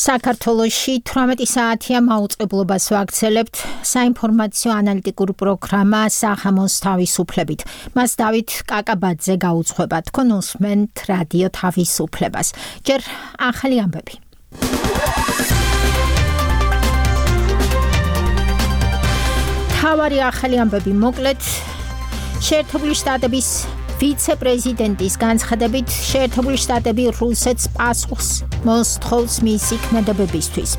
საქართველოში 18 საათია მაუწყებლობას ვაგრძელებთ საინფორმაციო ანალიტიკურ პროგრამა სახამოს თავისუფლებით. მას დავით კაკაბაძე გაუძღვება. თქვენ უსმენთ რადიო თავისუფლებას. ჯერ ახალი ამბები. თავარი ახალი ამბები მოკლედ შეერთებული შტატების ვიცე-პრეზიდენტის განცხადებით შეერთებული შტატები რუსეთს პასუხს მოსთხოვს მისი ქმედებებისთვის.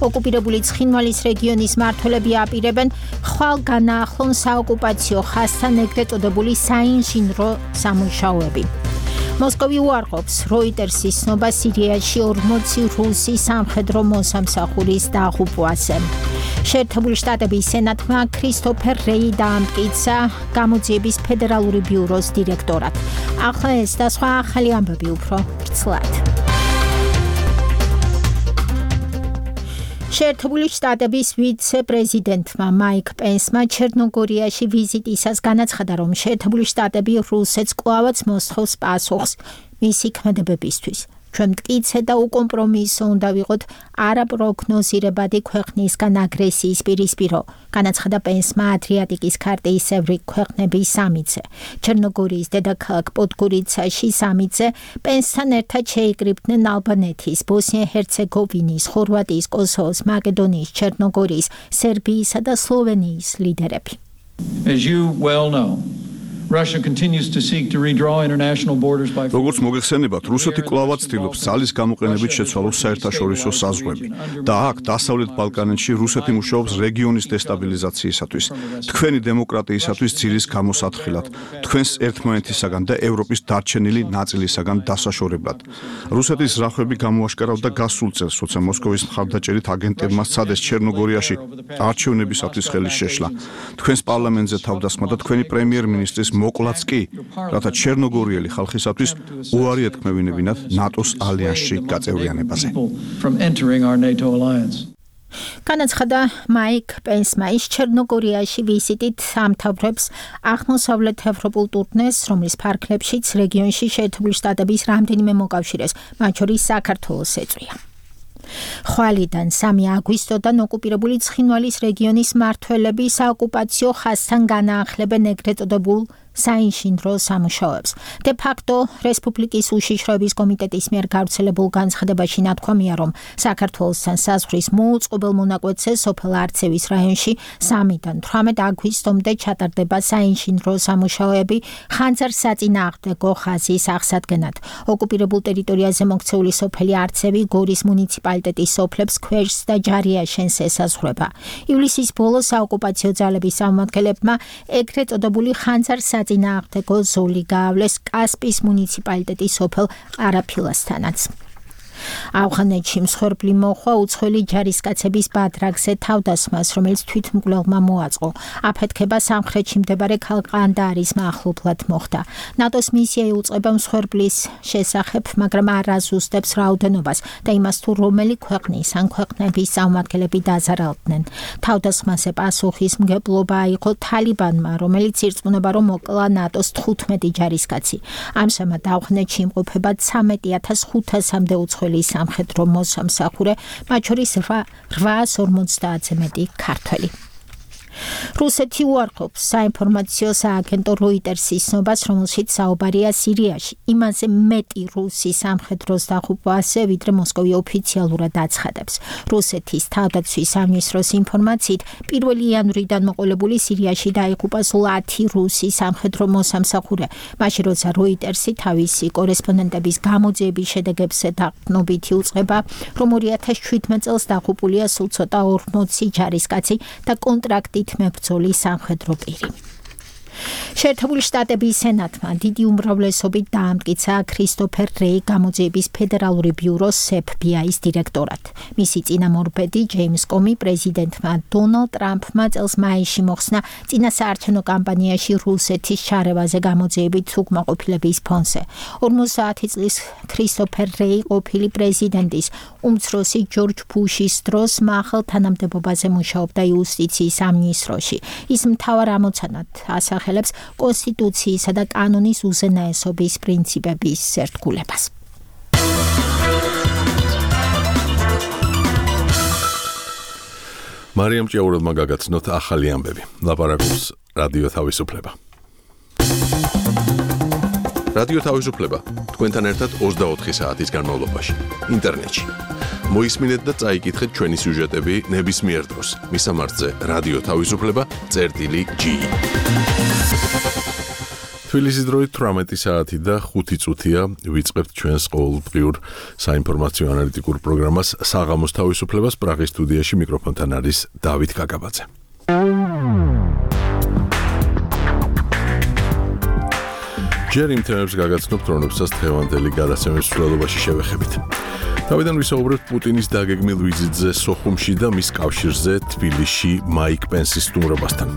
ოკუპირებული ცხინვალის რეგიონის მმართველები აპირებენ ხვალ განაახლონ საოკუპაციო ხაზთან ეგრეთ წოდებული საინჟინრო სამუშაოები. მოსკოვი უარყოფს როიტერსის ცნობა სირიაში 40 რუსი სამხედრო მოსამსახურის დაღუპვაზე. შეერთებული შტატების სენატმა ქრისტოფერ რეი დაამტკიცა გამოძიების ფედერალური ბიუროს დირექტორად. ახლა ეს და სხვა ახალი ამბები უფრო ვრცლად. შეერთებული შტატების ვიცე-პრეზიდენტმა მაიკ პენსმა ჩერნოგორიაში ვიზიტისას განაცხადა, რომ შეერთებული შტატები რუსეთს კვლავაც მოსთხოვს პასუხს მისი ქმედებებისთვის. ჩვენ მტკიცე და უკომპრომისო უნდა ვიყოთ არაპროგნოზირებადი ქვეყნისგან აგრესიის პირისპირო, განაცხადა პენსმა ადრიატიკის ქარტიისებრი ქვეყნების სამიტზე. ჩერნოგორიის დედაქალაქ პოდგორიცაში სამიტზე პენსთან ერთად შეიკრიბნენ ალბანეთის, ბოსნია-ჰერცეგოვინის, ხორვატიის, კოსოვოს, მაკედონიის, ჩერნოგორიის, სერბიისა და სლოვენიის ლიდერები. As you well know, Russia continues to seek to redraw international borders by როგორც მოგეხსენებათ, რუსეთი კვლავაც ცდილობს ძალის გამოყენებით შეცვალოს საერთაშორისო საზღვრები და აქ დასავლეთ ბალკანეთში რუსეთი მუშაობს რეგიონის დესტაბილიზაციისათვის, თქვენი დემოკრატიისათვის ძირის გამოსათხილად, თქვენს ერთმანეთისაგან და ევროპის დარჩენილი ნაწილისაგან დასაშორებლად. რუსეთის ზრახვები გამოაშკარავდა გასულ წელს, როცა მოსკოვის მხარდაჭერით აგენტებმა სცადეს ჩერნოგორიაში არჩევნებისათვის ხელის შეშლა. თქვენს პარლამენტზე თავდასხმა და თქვენი პრემიერ-მინისტრის მოკლაც კი, რათა ჩერნოგორიელი ხალხისათვის უარი ეთქმევინებინათ ნატოს ალიანსში გაწევრიანებაზე. განაცხადა მაიკ პენსმა. ის ჩერნოგორიაში ვიზიტით ამთავრებს აღმოსავლეთ ევროპულ ტურნეს, რომლის ფარგლებშიც რეგიონში შეერთებული შტატების რამდენიმე მოკავშირეს, მათ შორის საქართველოს ეწვია. ხვალიდან 3 აგვისტოდან ოკუპირებული ცხინვალის რეგიონის მმართველები საოკუპაციო ხაზთან განაახლებენ ეგრეთ წოდებულ საინჟინრო სამუშაოებს. De facto რესპუბლიკის უშიშროების კომიტეტის მიერ გავრცელებულ განცხადებაში ნათქვამია, რომ საქართველოსთან საზღვრის მოუწყობელ მონაკვეთზე სოფელ არცევის რაიონში 3-დან 18 აგვისტომდე ჩატარდება საინჟინრო სამუშაოები ხანძარსაწინააღმდეგო ხაზის აღსადგენად. ოკუპირებულ ტერიტორიაზე მოქცეული სოფელი არცევი გორის მუნიციპალიტეტის სოფლებს ქვეშს და ჯარიაშენს ესაზღვრება. ივლისის ბოლოს საოკუპაციო ძალების წარმომადგენლებმა ეგრეთ წოდებული ხანძარსაწინააღმდეგო ზოლი გაავლეს კასპის მუნიციპალიტეტის სოფელ ყარაფილასთანაც. ავღანეთში მსხვერპლი მოხვა უცხოელი ჯარისკაცების ბადრაგზე თავდასხმას, რომელიც თვითმკვლელმა მოაწყო. აფეთქება სამხრეთში მდებარე ქალაქ ყანდაარის მახლობლად მოხდა. ნატოს მისია იუწყება მსხვერპლის შესახებ, მაგრამ არ აზუსტებს რაოდენობას და იმას თუ რომელი ქვეყნის ან ქვეყნების წარმომადგენლები დაზარალდნენ. თავდასხმაზე პასუხისმგებლობა აიღო თალიბანმა, რომელიც ირწმუნება, რომ მოკლა ნატოს 15 ჯარისკაცი. ამჟამად ავღანეთში იმყოფება 13,500-მდე უცხოელი სამხედრო მოსამსახურე, მათ შორის 850-ზე მეტი ქართველი. რუსეთი უარყოფს საინფორმაციო სააგენტო როიტერსის ცნობას, რომელშიც საუბარია სირიაში. იმაზე მეტი რუსი სამხედროს დაღუპვაზე, ვიდრე მოსკოვი ოფიციალურად აცხადებს. რუსეთის თავდაცვის სამინისტროს ინფორმაციით, 1 იანვრიდან მოყოლებული სირიაში დაიღუპა სულ 10 რუსი სამხედრო მოსამსახურე, მაშინ როცა როიტერსი თავისი კორესპონდენტების გამოძიების შედეგებს დაყრდნობითი უწყება, რომ 2017 წელს დაღუპულია სულ ცოტა 40 ჯარისკაცი და კონტრაქტით მებრძოლი სამხედრო პირი. შეერთებული შტატების სენატმა დიდი უმრავლესობით დაამტკიცა ქრისტოფერ რეი გამოძიების ფედერალური ბიუროს FBI-ის დირექტორად. მისი წინამორბედი ჯეიმს კომი პრეზიდენტმა დონალდ ტრამპმა წელს მაისში მოხსნა წინასაარჩევნო კამპანიაში რუსეთის ჩარევაზე გამოძიებით უკმაყოფილების ფონზე. 50 წლის ქრისტოფერ რეი ყოფილი პრეზიდენტის უმცროსი ჯორჯ ბუშის დროს მაღალ თანამდებობაზე მუშაობდა იუსტიციის სამინისტროში. ის მთავარ ამოცანად ასახელებს კონსტიტუციისა და კანონის უზენაესობის პრინციპების ერთგულებას. მარიამ ჭიაურელმა გაგაცნოთ ახალი ამბები. ლაპარაკობს რადიო თავისუფლება. რადიო თავისუფლება თქვენთან ერთად 24 საათის განმავლობაში ინტერნეტში. მოისმინეთ და წაიკითხეთ ჩვენი სიუჟეტები ნებისმიერ დროს. მისამართზე რადიო თავისუფლება.gi. თბილისის დროით 18 საათი და 5 წუთია ვიწყებთ ჩვენს ყოველდღიურ საინფორმაციო ანალიტიკურ პროგრამას საღამოს თავისუფლებას. პრაღის სტუდიაში მიკროფონთან არის დავით კაკაბაძე. ჯერ იმ თემებს გაგაცნობთ, რომლებსაც დღევანდელი გადაცემის მსვლელობაში შევეხებით. თავიდან ვისაუბრებთ პუტინის დაგეგმილ ვიზიტზე სოხუმში და მის კავშირზე თბილისში მაიკ პენსის სტუმრობასთან.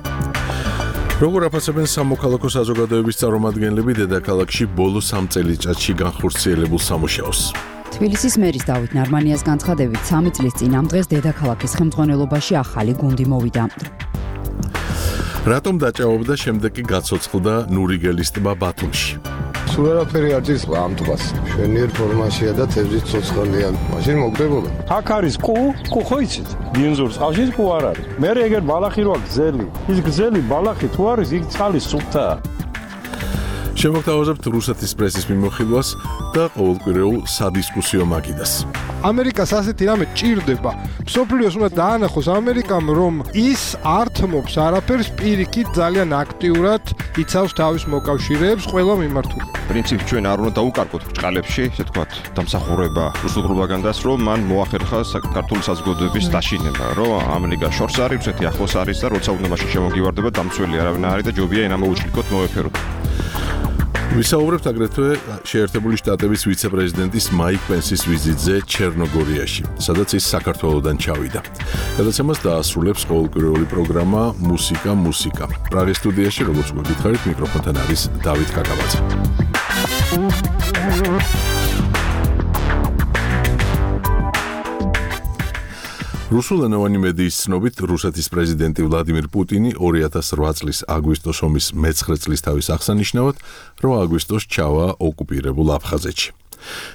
როგორ აფასებენ სამოქალაქო საზოგადოების წარმომადგენლები დედაქალაქში ბოლო 3 წელიწადში განხორციელებულ სამუშაოს? თბილისის მერის დავით ნარმანიას განცხადებით 3 წლის წინ ამ დღეს დედაქალაქის ხელმძღვანელობაში ახალი გუნდი მოვიდა. რატომ დაჭაობდა შემდეგ კი გაცოცხლდა ნურიგელის ტბა ბათუმში? სულ არაფერი არ ძირს ამ ტბას. შვენიერ ფორმაშია და თევზით ცოცხალია. მაშინ მოგდებოდა. აქ არის კუ ხო იცით? ბინზურს ყავშის კუ არ არის. მე ეგერ ბალახი როა გზელი. ის გზელი ბალახი თუ არის, იქ წყალი სუფთაა. შემოგთავაზებთ რუსეთის პრესის მიმოხილვას და ყოველკვირეულ სადისკუსიო მაგიდას. ამერიკას ასეთი რამე ჭირდება. მსოფლიოს უნდა დაანახოს ამერიკამ, რომ ის არ თმობს არაფერს, პირიქით ძალიან აქტიურად იცავს თავის მოკავშირეებს ყველა მიმართულებით. პრინციპი ჩვენ არ უნდა დაუკარგოთ ბრჭყალებში, ესე თქვათ, დამსახურება რუსულ პროპაგანდას, რომ მან მოახერხა საქართველოს საზოგადოების დაშინება, რომ ამერიკა შორს არის, რუსეთი ახლოს არის და როცა უნდა მაშინ შემოგივარდება, დამცველი არავინ არ არის და ჯობია ენა მოუჭრიკოთ მოვეფეროთ. ვისაუბრებთ აგრეთვე შეერთებული შტატების ვიცე-პრეზიდენტის მაიკ პენსის ვიზიტზე ჩერნოგორიაში, სადაც ის საქართველოდან ჩავიდა. გადაცემას დაასრულებს ყოველკვირეული პროგრამა მუსიკა. პრაღის სტუდიაში, როგორც გვეკითხარით, მიკროფონთან არის დავით კაკაბაძე. რუსულენოვანი მედიის ცნობით, რუსეთის პრეზიდენტი ვლადიმირ პუტინი 2008 წლის აგვისტოს ომის მე-9 წლის თავის აღსანიშნავად 8 აგვისტოს ჩავა ოკუპირებულ აფხაზეთში.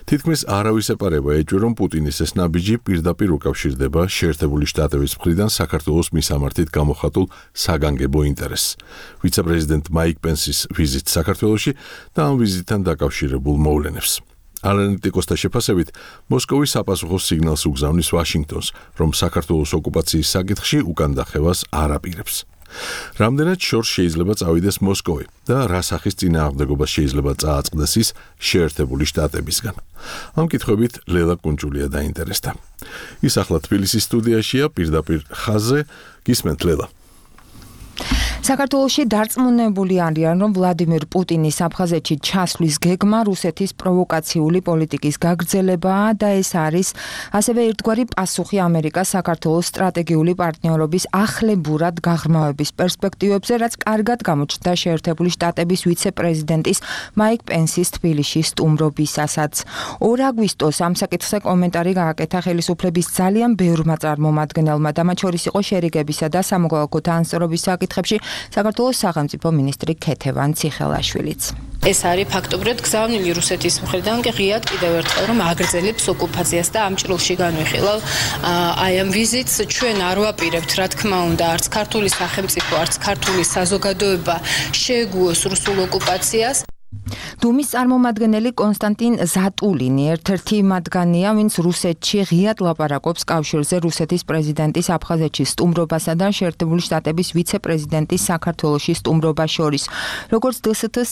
თითქმის არავის ეპარება ეჭვი, რომ პუტინის ეს ნაბიჯი პირდაპირ უკავშირდება შეერთებული შტატების მხრიდან საქართველოს მისამართით გამოხატულ საგანგებო ინტერესს. ვიცე-პრეზიდენტ მაიკ პენსის ვიზიტ საქართველოში და ამ ვიზიტთან დაკავშირებულ მოვლენებს. ანალიტიკოსთა შეფასებით, მოსკოვი საპასუხო სიგნალს უგზავნის ვაშინგტონს, რომ საქართველოს ოკუპაციის საკითხში უკან დახევას არ აპირებს. რამდენად შორს შეიძლება წავიდეს მოსკოვი და რა სახის წინააღმდეგობას შეიძლება წააწყდეს ის შეერთებული შტატებისგან? ამ კითხვებით ლელა კუნჭულია დაინტერესდა. ის ახლა თბილისის სტუდიაშია, პირდაპირ ხაზზე. გისმენთ ლელა. საქართველოში დარწმუნებული არიან, რომ ვლადიმირ პუტინის აფხაზეთში ჩასვლის გეგმა რუსეთის პროვოკაციული პოლიტიკის გაგრძელებაა და ეს არის ასევე ერთგვარი პასუხი ამერიკას საქართველოს სტრატეგიული პარტნიორობის ახლებურად გაღრმავების პერსპექტივებზე, რაც კარგად გამოჩნდა შეერთებული შტატების ვიცე-პრეზიდენტის მაიკ პენსის თბილისში სტუმრობისასაც. 2 აგვისტოს ამ საკითხზე კომენტარი გააკეთა ხელისუფლების ძალიან ბევრმა წარმომადგენელმა და მათ შორის იყო შერიგებისა და სამოქალაქო თანასწორობის საკითხებში საქართველოს სახელმწიფო მინისტრი ქეთევან ციხელაშვილიც. ეს არის ფაქტობრივად გზავნილი რუსეთის მხრიდან კი ღიად კიდევ ერთხელ რომ აგრძელებს ოკუპაციას და ამ ჭრილში განვიხილავ აი ამ ვიზიტს ჩვენ არ ვაპირებთ რა თქმა უნდა არც ქართული სახელმწიფო არც ქართული საზოგადოება შეეგუოს რუსულ ოკუპაციას. დუმის წარმომადგენელი კონსტანტინ ზატულინი ერთ-ერთი მათგანია, ვინც რუსეთში ღიად ლაპარაკობს კავშირზე რუსეთის პრეზიდენტის აფხაზეთში სტუმრობასა და შეერთებული შტატების ვიცე-პრეზიდენტის საქართველოში სტუმრობას შორის. როგორც დსთ-ს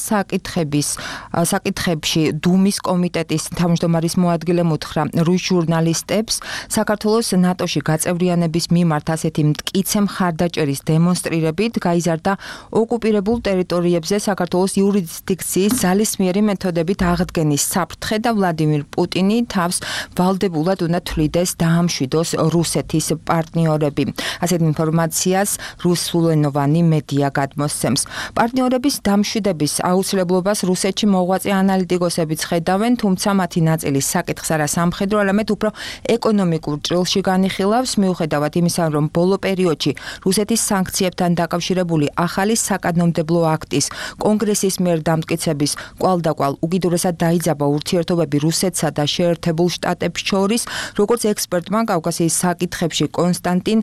საკითხებში დუმის კომიტეტის თავმჯდომარის მოადგილემ უთხრა რუს ჟურნალისტებს, საქართველოს ნატოში გაწევრიანების მიმართ ასეთი მტკიცე მხარდაჭერის დემონსტრირებით გაიზარდა ოკუპირებულ ტერიტორიებზე საქართველოს იურისდიქციის ძალისმიერი მეთოდებით აღდგენის საფრთხე და ვლადიმირ პუტინი თავს ვალდებულად უნდა თვლიდეს დაამშვიდოს რუსეთის პარტნიორები. ასეთ ინფორმაციას რუსულენოვანი მედია გადმოსცემს. პარტნიორების დამშვიდების აუცილებლობას რუსეთში მოღვაწე ანალიტიკოსებიც ხედავენ, თუმცა მათი ნაწილი საკითხს არა სამხედრო, არამედ უფრო ეკონომიკურ ჭრილში განიხილავს, მიუხედავად იმისა, რომ ბოლო პერიოდში რუსეთის სანქციებთან დაკავშირებული ახალი საკანონმდებლო აქტის კონგრესის მიერ დამტკიცების კვალდაკვალ უკიდურესად დაიძაბა ურთიერთობები რუსეთსა და შეერთებულ შტატებს შორის, როგორც ექსპერტმა კავკასიის საკითხებში კონსტანტინ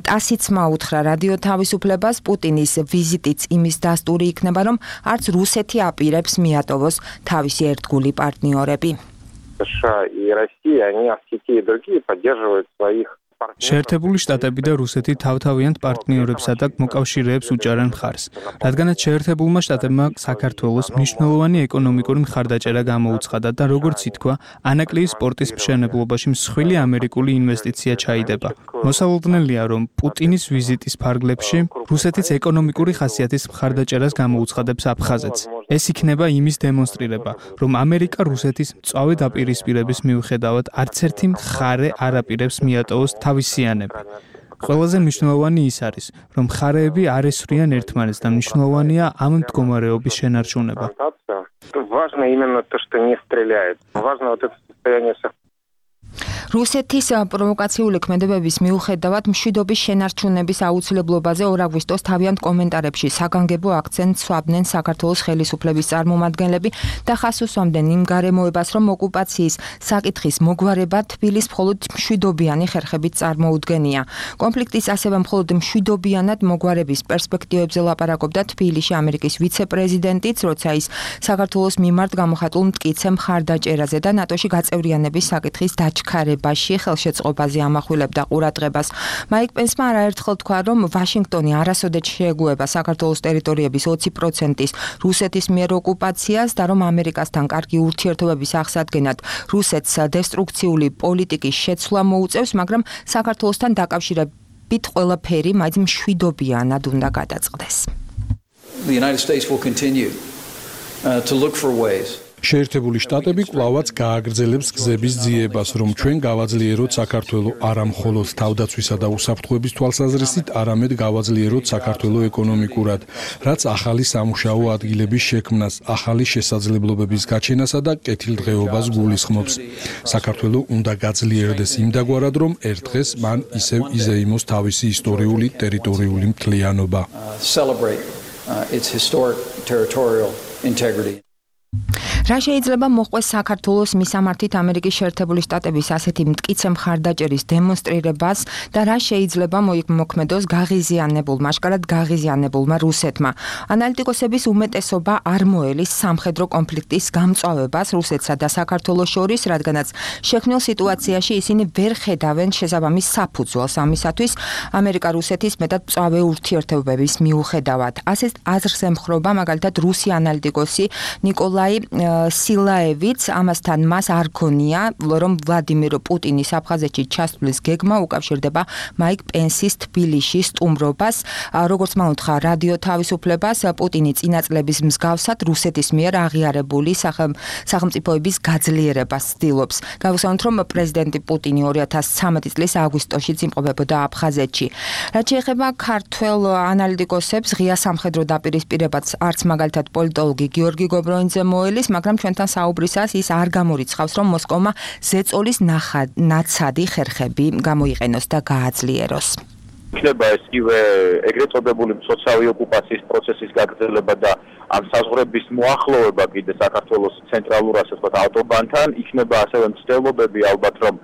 ტასიცმა უთხრა რადიო თავისუფლებას, პუტინის ვიზიტიც იმის დასტური იქნება, რომ არც რუსეთი აპირებს მიატოვოს თავისი ერთგული პარტნიორები. США и Россия, они и другие поддерживают своих შეერთებული შტატები და რუსეთი თავთავიანთ პარტნიორებსა და მოკავშირეებს უჭერენ მხარს, რადგანაც შეერთებულმა შტატებმა საქართველოს მნიშვნელოვანი ეკონომიკური მხარდაჭერა გამოუცხადა და როგორც ითქვა, ანაკლიის სპორტის მშენებლობაში მსხვილი ამერიკული ინვესტიცია ჩაიდება. მოსალოდნელია, რომ პუტინის ვიზიტის ფარგლებში რუსეთიც ეკონომიკური ხასიათის მხარდაჭერას გამოუცხადებს აფხაზეთს. ეს იქნება იმის დემონსტრირება, რომ ამერიკა რუსეთის მწვავე დაპირისპირების მიუხედავად არც ერთი მხარე არ აპირებს მიატოვოს თავისიანები. ყველაზე მნიშვნელოვანი ის არის, რომ მხარეები არ ესვრიან ერთმანეთს და მნიშვნელოვანია ამ მდგომარეობის შენარჩუნება. Важно именно то, что не стреляет. Важно вот это состояние. რუსეთის პროვოკაციული ქმედებების მიუხედავად მშვიდობის შენარჩუნების აუცილებლობაზე 2 აგვისტოს თავიანთ კომენტარებში საგანგებო აქცენტს სვამდნენ საქართველოს ხელისუფლების წარმომადგენლები და ხას უსვამდნენ იმ გარემოებას, რომ ოკუპაციის საკითხის მოგვარება თბილისს მხოლოდ მშვიდობიანი ხერხებით წარმოუდგენია. კონფლიქტის ასევე მხოლოდ მშვიდობიანად მოგვარების პერსპექტივებზე ლაპარაკობდა თბილისში ამერიკის ვიცე-პრეზიდენტიც, როცა ის საქართველოს მიმართ გამოხატულ მტკიცე მხარდაჭერაზე და ნატოში გაწევრიანების საკითხის დაჩქარებაში ხელშეწყობაზე ამახვილებდა ყურადღებას. მაიკ პენსმა არაერთხელ თქვა, რომ ვაშინგტონი არასოდეს შეეგუება საქართველოს ტერიტორიების 20%-ის რუსეთის მიერ ოკუპაციას და რომ ამერიკასთან კარგი ურთიერთობების აღსადგენად რუსეთს დესტრუქციული პოლიტიკის შეცვლა მოუწევს, მაგრამ საქართველოსთან დაკავშირებით ყველაფერი მაინც მშვიდობიანად უნდა გადაწყდეს. The United States will continue to look for ways შეერთებული შტატები კვლავაც გააგრძელებს გზების ძიებას, რომ ჩვენ გავაძლიეროთ საქართველოს არა მხოლოდ თავდაცვისა და უსაფრთხოების თვალსაზრისით, არამედ გავაძლიეროთ საქართველოს ეკონომიკურად, რაც ახალი სამუშაო ადგილების შექმნას, ახალი შესაძლებლობების გაჩენასა და კეთილდღეობას გულისხმობს. საქართველოს უნდა გაძლიერდეს იმდაგვარად, რომ ერთ დღეს მან ისევ იზეიმოს თავისი ისტორიული ტერიტორიული მთლიანობა. Celebrate its historic territorial integrity. რა შეიძლება მოხდეს საქართველოს მისამართით ამერიკის შეერთებული შტატების ასეთი მტკიცე მხარდაჭერის დემონსტრირებას და რა შეიძლება მოქმედოს გაღიზიანებულმა, შკარად გაღიზიანებულმა რუსეთმა. ანალიტიკოსების უმეტესობა არ მოელის სამხედრო კონფლიქტის გამწვავებას რუსეთსა და საქართველოს შორის, რადგანაც შექმნილ სიტუაციაში ისინი ვერ ხედავენ შესაბამის საფუძველს ამისათვის ამერიკა-რუსეთის მეტად მწვავე ურთიერთობების მიუხედავად. ასეთ აზრს ემხრობა მაგალითად რუსი ანალიტიკოსი ნიკოლაი სილაევიც, ამასთან მას არ ქონია, რომ ვლადიმირ პუტინის აფხაზეთში ჩასვლის გეგმა უკავშირდება მაიკ პენსის თბილისში სტუმრობას. როგორც მან უთხრა რადიო თავისუფლებას, პუტინი წინა წლების მსგავსად რუსეთის მიერ აღიარებული სახელმწიფოების გაძლიერებას ცდილობს. გავუსაუბროთ, რომ პრეზიდენტი პუტინი 2013 წლის აგვისტოში იმყოფებოდა აფხაზეთში. რაც შეეხება ქართველ ანალიტიკოსებს, ღია სამხედრო დაპირისპირებაც არც მაგალითად პოლიტოლოგი გიორგი გობროინძე მოელის, მაგრამ ჩვენთან საუბრისას ის არ გამორიცხავს, რომ მოსკოვმა ზეწოლის ნაცადი ხერხები გამოიყენოს და გააძლიეროს. იქნება ეს იგივე ეგრეთ წოდებული სოციალური ოკუპაციის პროცესის გაგრძელება და ამ საზღვრების მოახლოვება კიდე საქართველოს ცენტრალურ ასე ვთქვათ ავტობანთან, იქნება ასევე მცდელობები ალბათ რომ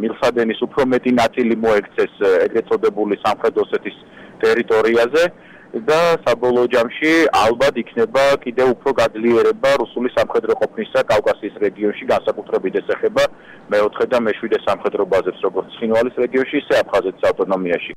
მილსადენის უფრო მეტი ნაწილი მოექცეს ეგრეთ წოდებული სამხრეთ ოსეთის ტერიტორიაზე. და საბოლოო ჯამში ალბათ იქნება კიდევ უფრო გაძლიერება რუსული სამხედრო ყოფნისა კავკასიის რეგიონში, განსაკუთრებით ეს ეხება მეოთხე და მეშვიდე სამხედრო ბაზებს, როგორც ცხინვალის რეგიონში, ისე აფხაზეთის ავტონომიაში.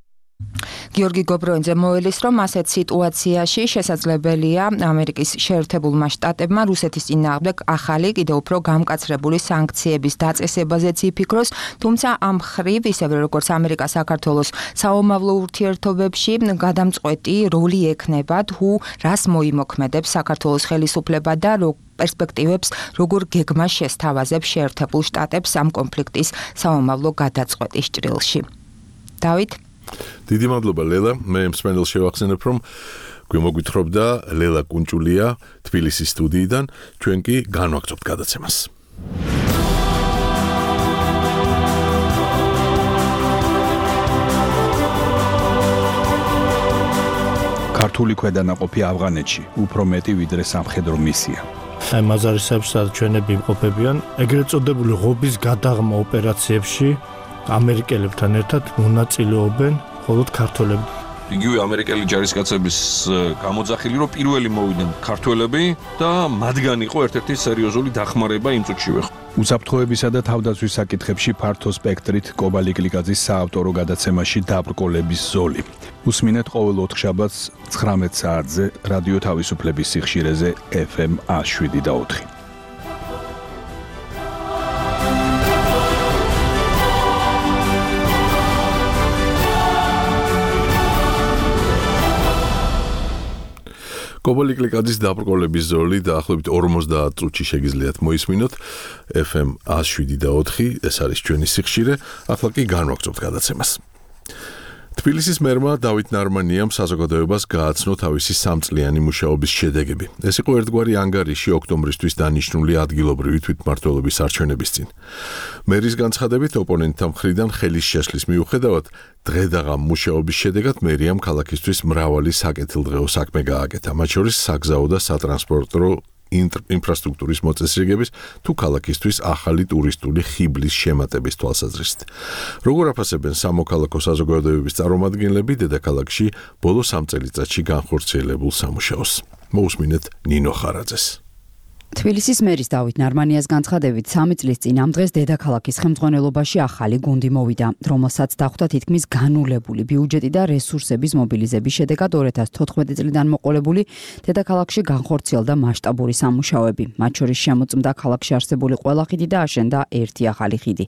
გიორგი გობროინძე მოელის, რომ ასეთ სიტუაციაში შესაძლებელია ამერიკის შეერთებულმა შტატებმა რუსეთის წინააღმდეგ ახალი, კიდევ უფრო გამკაცრებული სანქციების დაწესებაზეც იფიქროს, თუმცა ამ მხრივ, ისევე როგორც ამერიკა საქართველოს საომავლო ურთიერთობებში, გადამწყვეტი როლი ექნება თუ რას მოიმოქმედებს საქართველოს ხელისუფლება და პერსპექტივებს, როგორ გეგმა შესთავაზებს შეერთებულ შტატებს ამ კონფლიქტის საომავლო გადაწყვეტის ჭრილში. დავით დიდი მადლობა ლელა, მე მსმენელს შევახსენებ, რომ გვიმოგვითხრობდა ლელა კუნჭულია თბილისის სტუდიიდან, ჩვენ კი განვაგრძობთ გადაცემას. ქართული ქვედანაყოფი ავღანეთში უფრო მეტი ვიდრე სამხედრო მისია. აი მაზარისებში სადაც ჩვენები იმყოფებიან, ეგრეთ წოდებული ღობის გადაღმა ოპერაციებში ამერიკელებთან ერთად მონაწილეობენ მხოლოდ ქართველები. იგივე ამერიკელი ჯარისკაცების გამოძახილი, რომ პირველი მოვიდნენ ქართველები და მათგან იყო ერთ-ერთი სერიოზული დახმარება იმ წუთშივე. უსაფრთხოებისა და თავდაცვის საკითხებში ფართო სპექტრით კობალი კლიკაძის საავტორო გადაცემაში დაბრკოლების ზოლი. უსმინეთ ყოველ 4 შაბათს 19 საათზე რადიო თავისუფლების სიხშირეზე FM 107.4. კობალი კლიკაძის დაბრკოლების ზოლი დაახლოებით 50 წუთში შეგიძლიათ მოისმინოთ FM 107.4, ეს არის ჩვენი სიხშირე, ახლა კი განვაგრძობთ გადაცემას. თბილისის მერმა დავით ნარმანიამ საზოგადოებას გააცნო თავისი სამწლიანი მუშაობის შედეგები. ეს იყო ერთგვარი ანგარიში ოქტომბრისთვის დანიშნული ადგილობრივი თვითმმართველობის არჩევნების წინ. მერის განცხადებით ოპონენტთა მხრიდან ხელის შეშლის მიუხედავად, დღედაღამ მუშაობის შედეგად მერიამ ქალაქისთვის მრავალი საკეთილდღეო საქმე გააკეთა, მათ შორის საგზაო და სატრანსპორტო ინფრასტრუქტურის მოწესრიგების თუ ქალაქისთვის ახალი ტურისტული ხიბლის შემატების თვალსაზრისით. როგორ აფასებენ სამოქალაქო საზოგადოებების წარმომადგენლები დედაქალაქში ბოლო 3 წელიწადში განხორციელებულ სამუშაოს? მოусმინეთ ნინო ხარაძეს. თბილისის მერის დავით ნარმანიას განცხადებით 3 წლის წინ ამ დღეს დედაქალაქის ხელმძღვანელობაში ახალი გუნდი მოვიდა, რომელსაც დახვდა თითქმის განულებული ბიუჯეტი და რესურსების მობილიზების შედეგად 2014 წლიდან მოყოლებული დედაქალაქში განხორციელდა მასშტაბური სამუშაოები. მათ შორის შემოწმდა ქალაქში არსებული ყველა ხიდი და აშენდა ერთი ახალი ხიდი.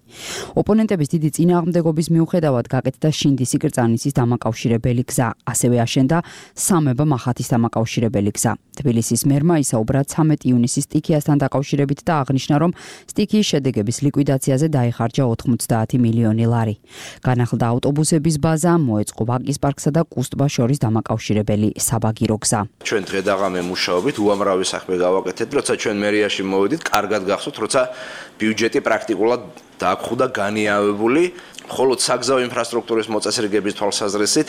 ოპონენტების დიდი წინააღმდეგობის მიუხედავად გაკეთდა შინდისი კრწანისის დამაკავშირებელი გზა, ასევე აშენდა სამება-მახათის დამაკავშირებელი გზა. თბილისის მერმა ისაუბრა 13 ივნისის სტიქიასთან დაკავშირებით და აღნიშნა, რომ სტიქიის შედეგების ლიკვიდაციაზე დაიხარჯა 90 მილიონი ლარი. განახლდა ავტობუსების ბაზა, მოეწყო ვაკის პარკსა და კუსტბას შორის დამაკავშირებელი საბაგირო გზა. ჩვენ დღედაღამე მუშაობით უამრავი საქმე გავაკეთეთ, როცა ჩვენ მერიაში მოვიდით, კარგად გახსოვთ, როცა ბიუჯეტი პრაქტიკულად დაგვხვდა განიავებული, მხოლოდ საგზაო ინფრასტრუქტურის მოწესრიგების თვალსაზრისით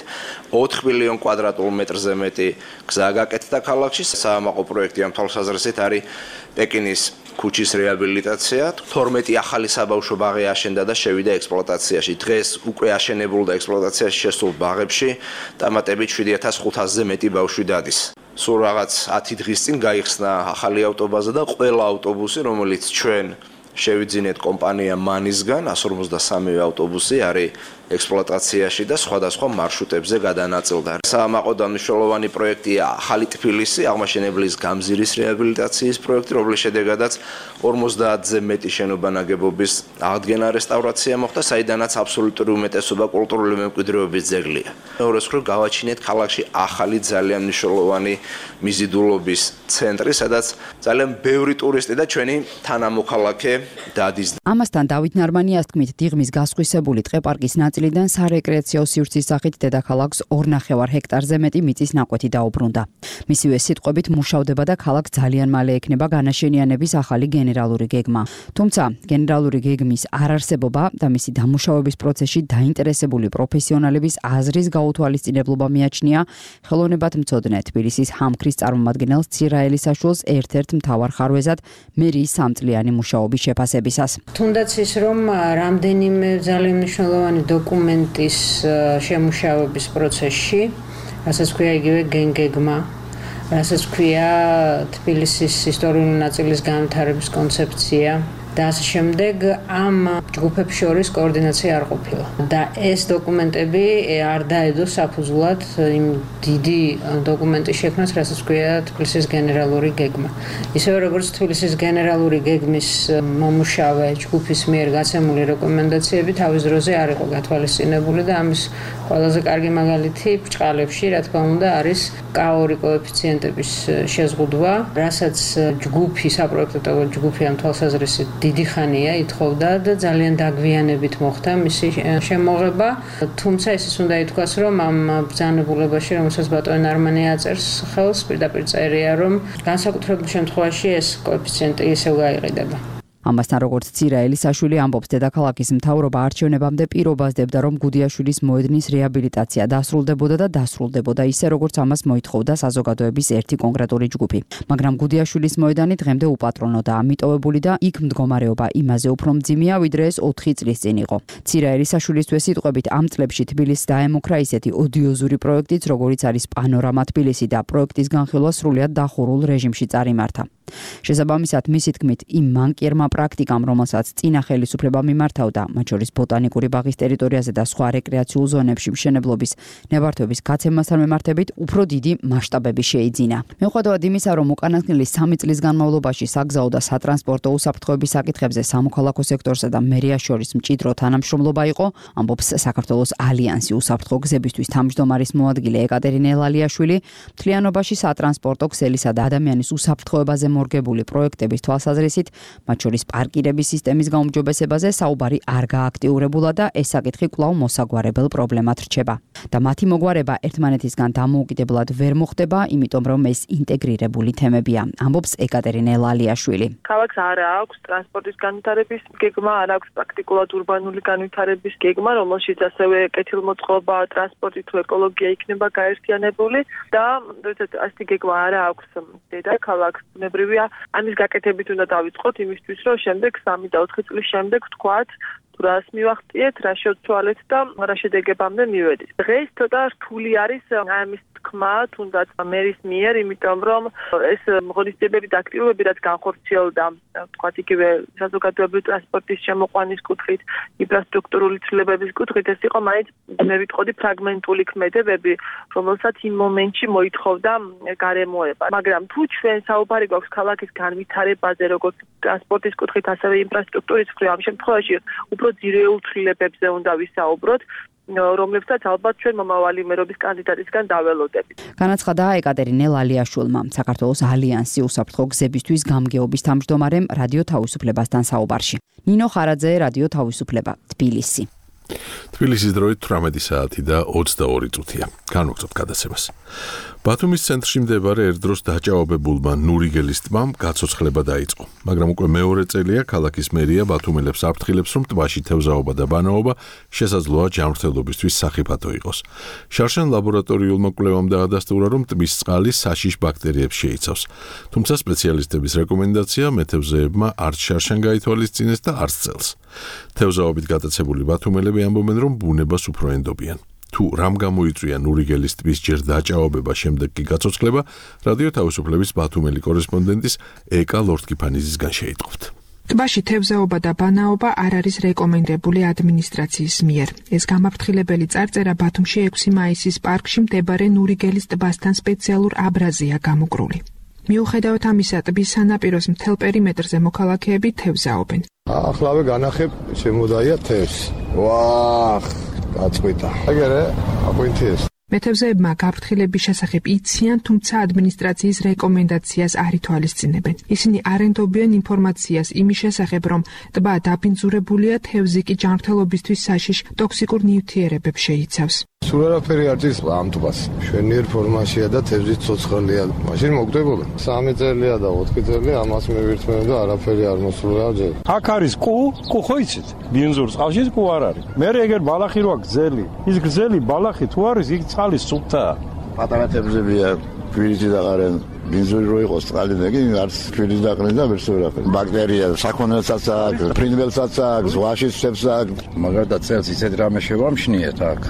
4 მილიონ კვადრატულ მეტრზე მეტი გზა გაკეთდა ქალაქში. საამაყო პროექტი ამ თვალსაზრისით არის პეკინის ქუჩის რეაბილიტაცია. 12 ახალი საბავშვო ბაღი აშენდა და შევიდა ექსპლუატაციაში. დღეს უკვე აშენებულ და ექსპლუატაციაში შესულ ბაღებში ტამატებით 7500-ზე მეტი ბავშვი დადის. სულ რაღაც 10 დღის წინ გაიხსნა ახალი ავტობაზა და ყველა ავტობუსი, რომელიც ჩვენ შევიძინეთ კომპანია მანისგან 153 ავტობუსი არის ექსპლუატაციაში და სხვადასხვა მარშრუტებზე გადანაწილდა. საამაყო დანიშნულოვანი პროექტია ახალი თბილისი, აღმაშენებლის გამზირის რეაბილიტაციის პროექტი, რომლის შედეგადაც 50-ზე მეტი შენობა ნაგებობის აღდგენა რესტავრაცია მოხდა, საიდანაც აბსოლუტური უმეტესობა კულტურული მემკვიდრეობის ძეგლია. მეორე მხრივ გავაჩინეთ ქალაქში ახალი ძალიან მნიშვნელოვანი მიზიდულობის ცენტრი, სადაც ძალიან ბევრი ტურისტი და ჩვენი თანამოქალაქე დადის. ამასთან დავით ნარმანიას თქმით, დიღმის გასხვისებული ტყეპარკის ნაწილიდან სარეკრეაციო სივრცის სახით დედაქალაქს 2.5 ჰექტარზე მეტი მიწის ნაკვეთი დაუბრუნდა. მისივე სიტყვებით მუშავდება და ქალაქს ძალიან მალე ექნება განაშენიანების ახალი გენერალური გეგმა. თუმცა გენერალური გეგმის არარსებობა და მისი დამუშავების პროცესში დაინტერესებული პროფესიონალების აზრის გაუთვალისწინებლობა მიაჩნია ხელოვნებათმცოდნე თბილისის ჰამქრის წარმომადგენელს ცირაელი საშუალს ერთ-ერთ მთავარ ხარვეზად მერიის 3 წლიანი მუშაობის შეფასებისას. თუნდაც ის რომ რამდენიმე ძალიან მნიშვნელოვანი დოკუმენტის შემუშავების პროცესში, რასაც ქვია იგივე გენგეგმა, რასაც ქვია თბილისის ისტორიული ნაწილის განვითარების კონცეფცია და ასე შემდეგ, ამ ჯგუფებს შორის კოორდინაცია არ ყოფილა. და ეს დოკუმენტები არ დაედო საფუძვლად იმ დიდი დოკუმენტის შექმნას, რასაც ქვია თბილისის გენერალური გეგმა. ისევე როგორც თბილისის გენერალური გეგმის მომუშავე ჯგუფის მიერ გაცემული რეკომენდაციები თავის დროზე არ იყო გათვალისწინებული და ამის ყველაზე კარგი მაგალითი ბრჭყალებში, რა თქმა უნდა, არის K2 კოეფიციენტების შეზღუდვა, რასაც ჯგუფი, საპროექტო ჯგუფი ამ თვალსაზრისით დიდი ხანია ითხოვდა და ძალიან დაგვიანებით მოხდა მისი შემოღება. თუმცა ისიც უნდა ითქვას, რომ ამ ბრძანებულებაში, რომელსაც ბატონი ნარმანია აწერს ხელს, პირდაპირ წერია, რომ განსაკუთრებულ შემთხვევაში ეს კოეფიციენტი ისევ გაიყიდება. ამასთან როგორც ცირა ელისაშვილი ამბობს, დედაქალაქის მთავრობა არჩევნებამდე პირობას დებდა, რომ გუდიაშვილის მოედნის რეაბილიტაცია დასრულდებოდა და დასრულდებოდა ისე, როგორც ამას მოითხოვდა საზოგადოების ერთი კონკრეტული ჯგუფი. მაგრამ გუდიაშვილის მოედანი დღემდე უპატრონოდაა მიტოვებული და იქ მდგომარეობა იმაზე უფრო მძიმეა, ვიდრე ეს 4 წლის წინ იყო. ცირა ელისაშვილისთვის სიტყვებით ამ წლებში თბილისს დაემუქრა ისეთი ოდიოზური პროექტიც, როგორიც არის პანორამა თბილისი და პროექტის განხილვა სრულიად დახურულ რეჟიმში წარიმართა. შესაბამისად, მისი თქმით, იმ მანკიერმა პრაქტიკამ, რომელსაც წინა ხელისუფლება მიმართავდა, მათ შორის ბოტანიკური ბაღის ტერიტორიაზე და სხვა რეკრეაციულ ზონებში მშენებლობის ნებართვების გაცემასთან მიმართებით, უფრო დიდი მასშტაბები შეიძინა. მიუხედავად იმისა, რომ უკანასკნელი 3 წლის განმავლობაში საგზაო და სატრანსპორტო უსაფრთხოების საკითხებზე სამოქალაქო სექტორსა და მერიას შორის მჭიდრო თანამშრომლობა იყო, ამბობს საქართველოს ალიანსი უსაფრთხო გზებისთვის თავმჯდომარის მოადგილე ეკატერინე ლალიაშვილი, მთლიანობაში სატრანსპორტო ქსელისა და ადამიანის უსაფრთხოებაზე მორგებული პროექტების თვალსაზრისით, მათ შორის პარკირების სისტემის გაუმჯობესებაზე საუბარი არ გააქტიურებულა და ეს საკითხი კვლავ მოსაგვარებელ პრობლემად რჩება. და მათი მოგვარება ერთმანეთისგან დამოუკიდებლად ვერ მოხდება, იმიტომ რომ ეს ინტეგრირებული თემებია, ამბობს ეკატერინე ლალიაშვილი. ქალაქს არ აქვს ტრანსპორტის განვითარების გეგმა, არ აქვს პრაქტიკულად ურბანული განვითარების გეგმა, რომელშიც ასევე კეთილმოწყობა, ტრანსპორტი თუ ეკოლოგია იქნება გაერთიანებული და ასეთი გეგმა არ აქვს დედაქალაქს. ბუნებრივია, ამის გაკეთებით უნდა დავიწყოთ იმისთვის, რომ შემდეგ 3 და 4 წლის შემდეგ ვთქვათ, რას მივახციეთ, რა შევცვალეთ და რა შედეგებამდე მივედით. დღეს ცოტა რთული არის ამის თქმა, თუნდაც მერის მიერ, იმიტომ რომ ეს ღონისძიებები და აქტივობები, რაც განხორციელდა, თქვათ იგივე საზოგადოებრივი ტრანსპორტის შემოყვანის კუთხით, ინფრასტრუქტურული ცვლილებების კუთხით, ეს იყო მაინც მე ვიტყოდი ფრაგმენტული ქმედებები, რომელსაც იმ მომენტში მოითხოვდა გარემოება. მაგრამ თუ ჩვენ საუბარი გვაქვს ქალაქის განვითარებაზე, როგორც ტრანსპორტის კუთხით, ასევე ინფრასტრუქტურის კუთხით, ამ შემთხვევაში უფრო ძირეულ ცვლილებებზე უნდა ვისაუბროთ, რომლებსაც ალბათ ჩვენ მომავალი მერობის კანდიდატისგან დაველოდებით. განაცხადა ეკატერინე ლალიაშვილმა, საქართველოს ალიანსი უსაფრთხო გზებისთვის გამგეობის თავმჯდომარემ რადიო თავისუფლებასთან საუბარში. ნინო ხარაძე, რადიო თავისუფლება, თბილისი. თბილისის დროით 18 საათი და 22 წუთია. განვაგრძობთ გადაცემას. ბათუმის ცენტრში მდებარე ერთდროს დაჭაობებულმა ნურიგელის ტბამ გაცოცხლება დაიწყო, მაგრამ უკვე მეორე წელია ქალაქის მერია ბათუმელებს აფრთხილებს, რომ ტბაში თევზაობა და ბანაობა შესაძლოა ჯანმრთელობისთვის სახიფათო იყოს. შარშან ლაბორატორიულმა კვლევამ დაადასტურა, რომ ტბის წყალი საშიშ ბაქტერიებს შეიცავს. თუმცა სპეციალისტების რეკომენდაცია მეთევზეებმა არც შარშან გაითვალისწინეს და არც წელს. თევზაობით გატაცებული ბათუმელები ამბობენ, რომ ბუნებას უფრო ენდობიან. თუ რამ გამოიწვია ნურიგელის ტბის ჯერ დაჭაობება, შემდეგ კი გაცოცხლება, რადიო თავისუფლების ბათუმელი კორესპონდენტის ეკა ლორდკიფანიძისგან შეიტყობთ. ტბაში თევზაობა და ბანაობა არ არის რეკომენდებული ადმინისტრაციის მიერ. ეს გამაფრთხილებელი წარწერა ბათუმში 6 მაისის პარკში მდებარე ნურიგელის ტბასთან სპეციალურ აბრაზია გამოკრული. მიუხედავად ამისა, ტბის სანაპიროს მთელ პერიმეტრზე მოქალაქეები თევზაობენ. ახლავე განახებ შემოდაია თევზი. ვაახ, გაწყვიტა. აგერე, აყვინთეს. მეთევზეებმა გაფრთხილების შესახებ იციან, თუმცა ადმინისტრაციის რეკომენდაციას არ ითვალისწინებენ. ისინი არ ენდობიან ინფორმაციას იმის შესახებ, რომ ტბა დაბინძურებულია, თევზი კი ჯანმრთელობისთვის საშიშ ტოქსიკურ ნივთიერებებს შეიცავს. სულ არაფერი არ დის ამ ტბას. შვენიერ ფორმაშია და თევზი ცოცხალია. მაშინ მოგდებოდა. 3 წელია და 4 წელი ამას მევირთმევ და არაფერი არ მოსულა ჯერ. აქ არის კუ ხო იცით? ბინზურს ყავში კუ არ არის. მე ეგერ ბალახი როა გზელი. ის გზელი ბალახი თუ არის, იქ წყალი სუფთაა. პატარა თევზებია, ფირიძი დაყარენ. ბინზური რო იყოს წყალი ნეგი, არც ფირიძი დაყრენ და ვერ შევრაფენ. ბაქტერია, საქონელსაც აქვს, ფრინველსაც აქვს, ზღვაში ცებს აქვს. მაგალითად, წელს ისეთ რამე შევამშნიეთ აქ.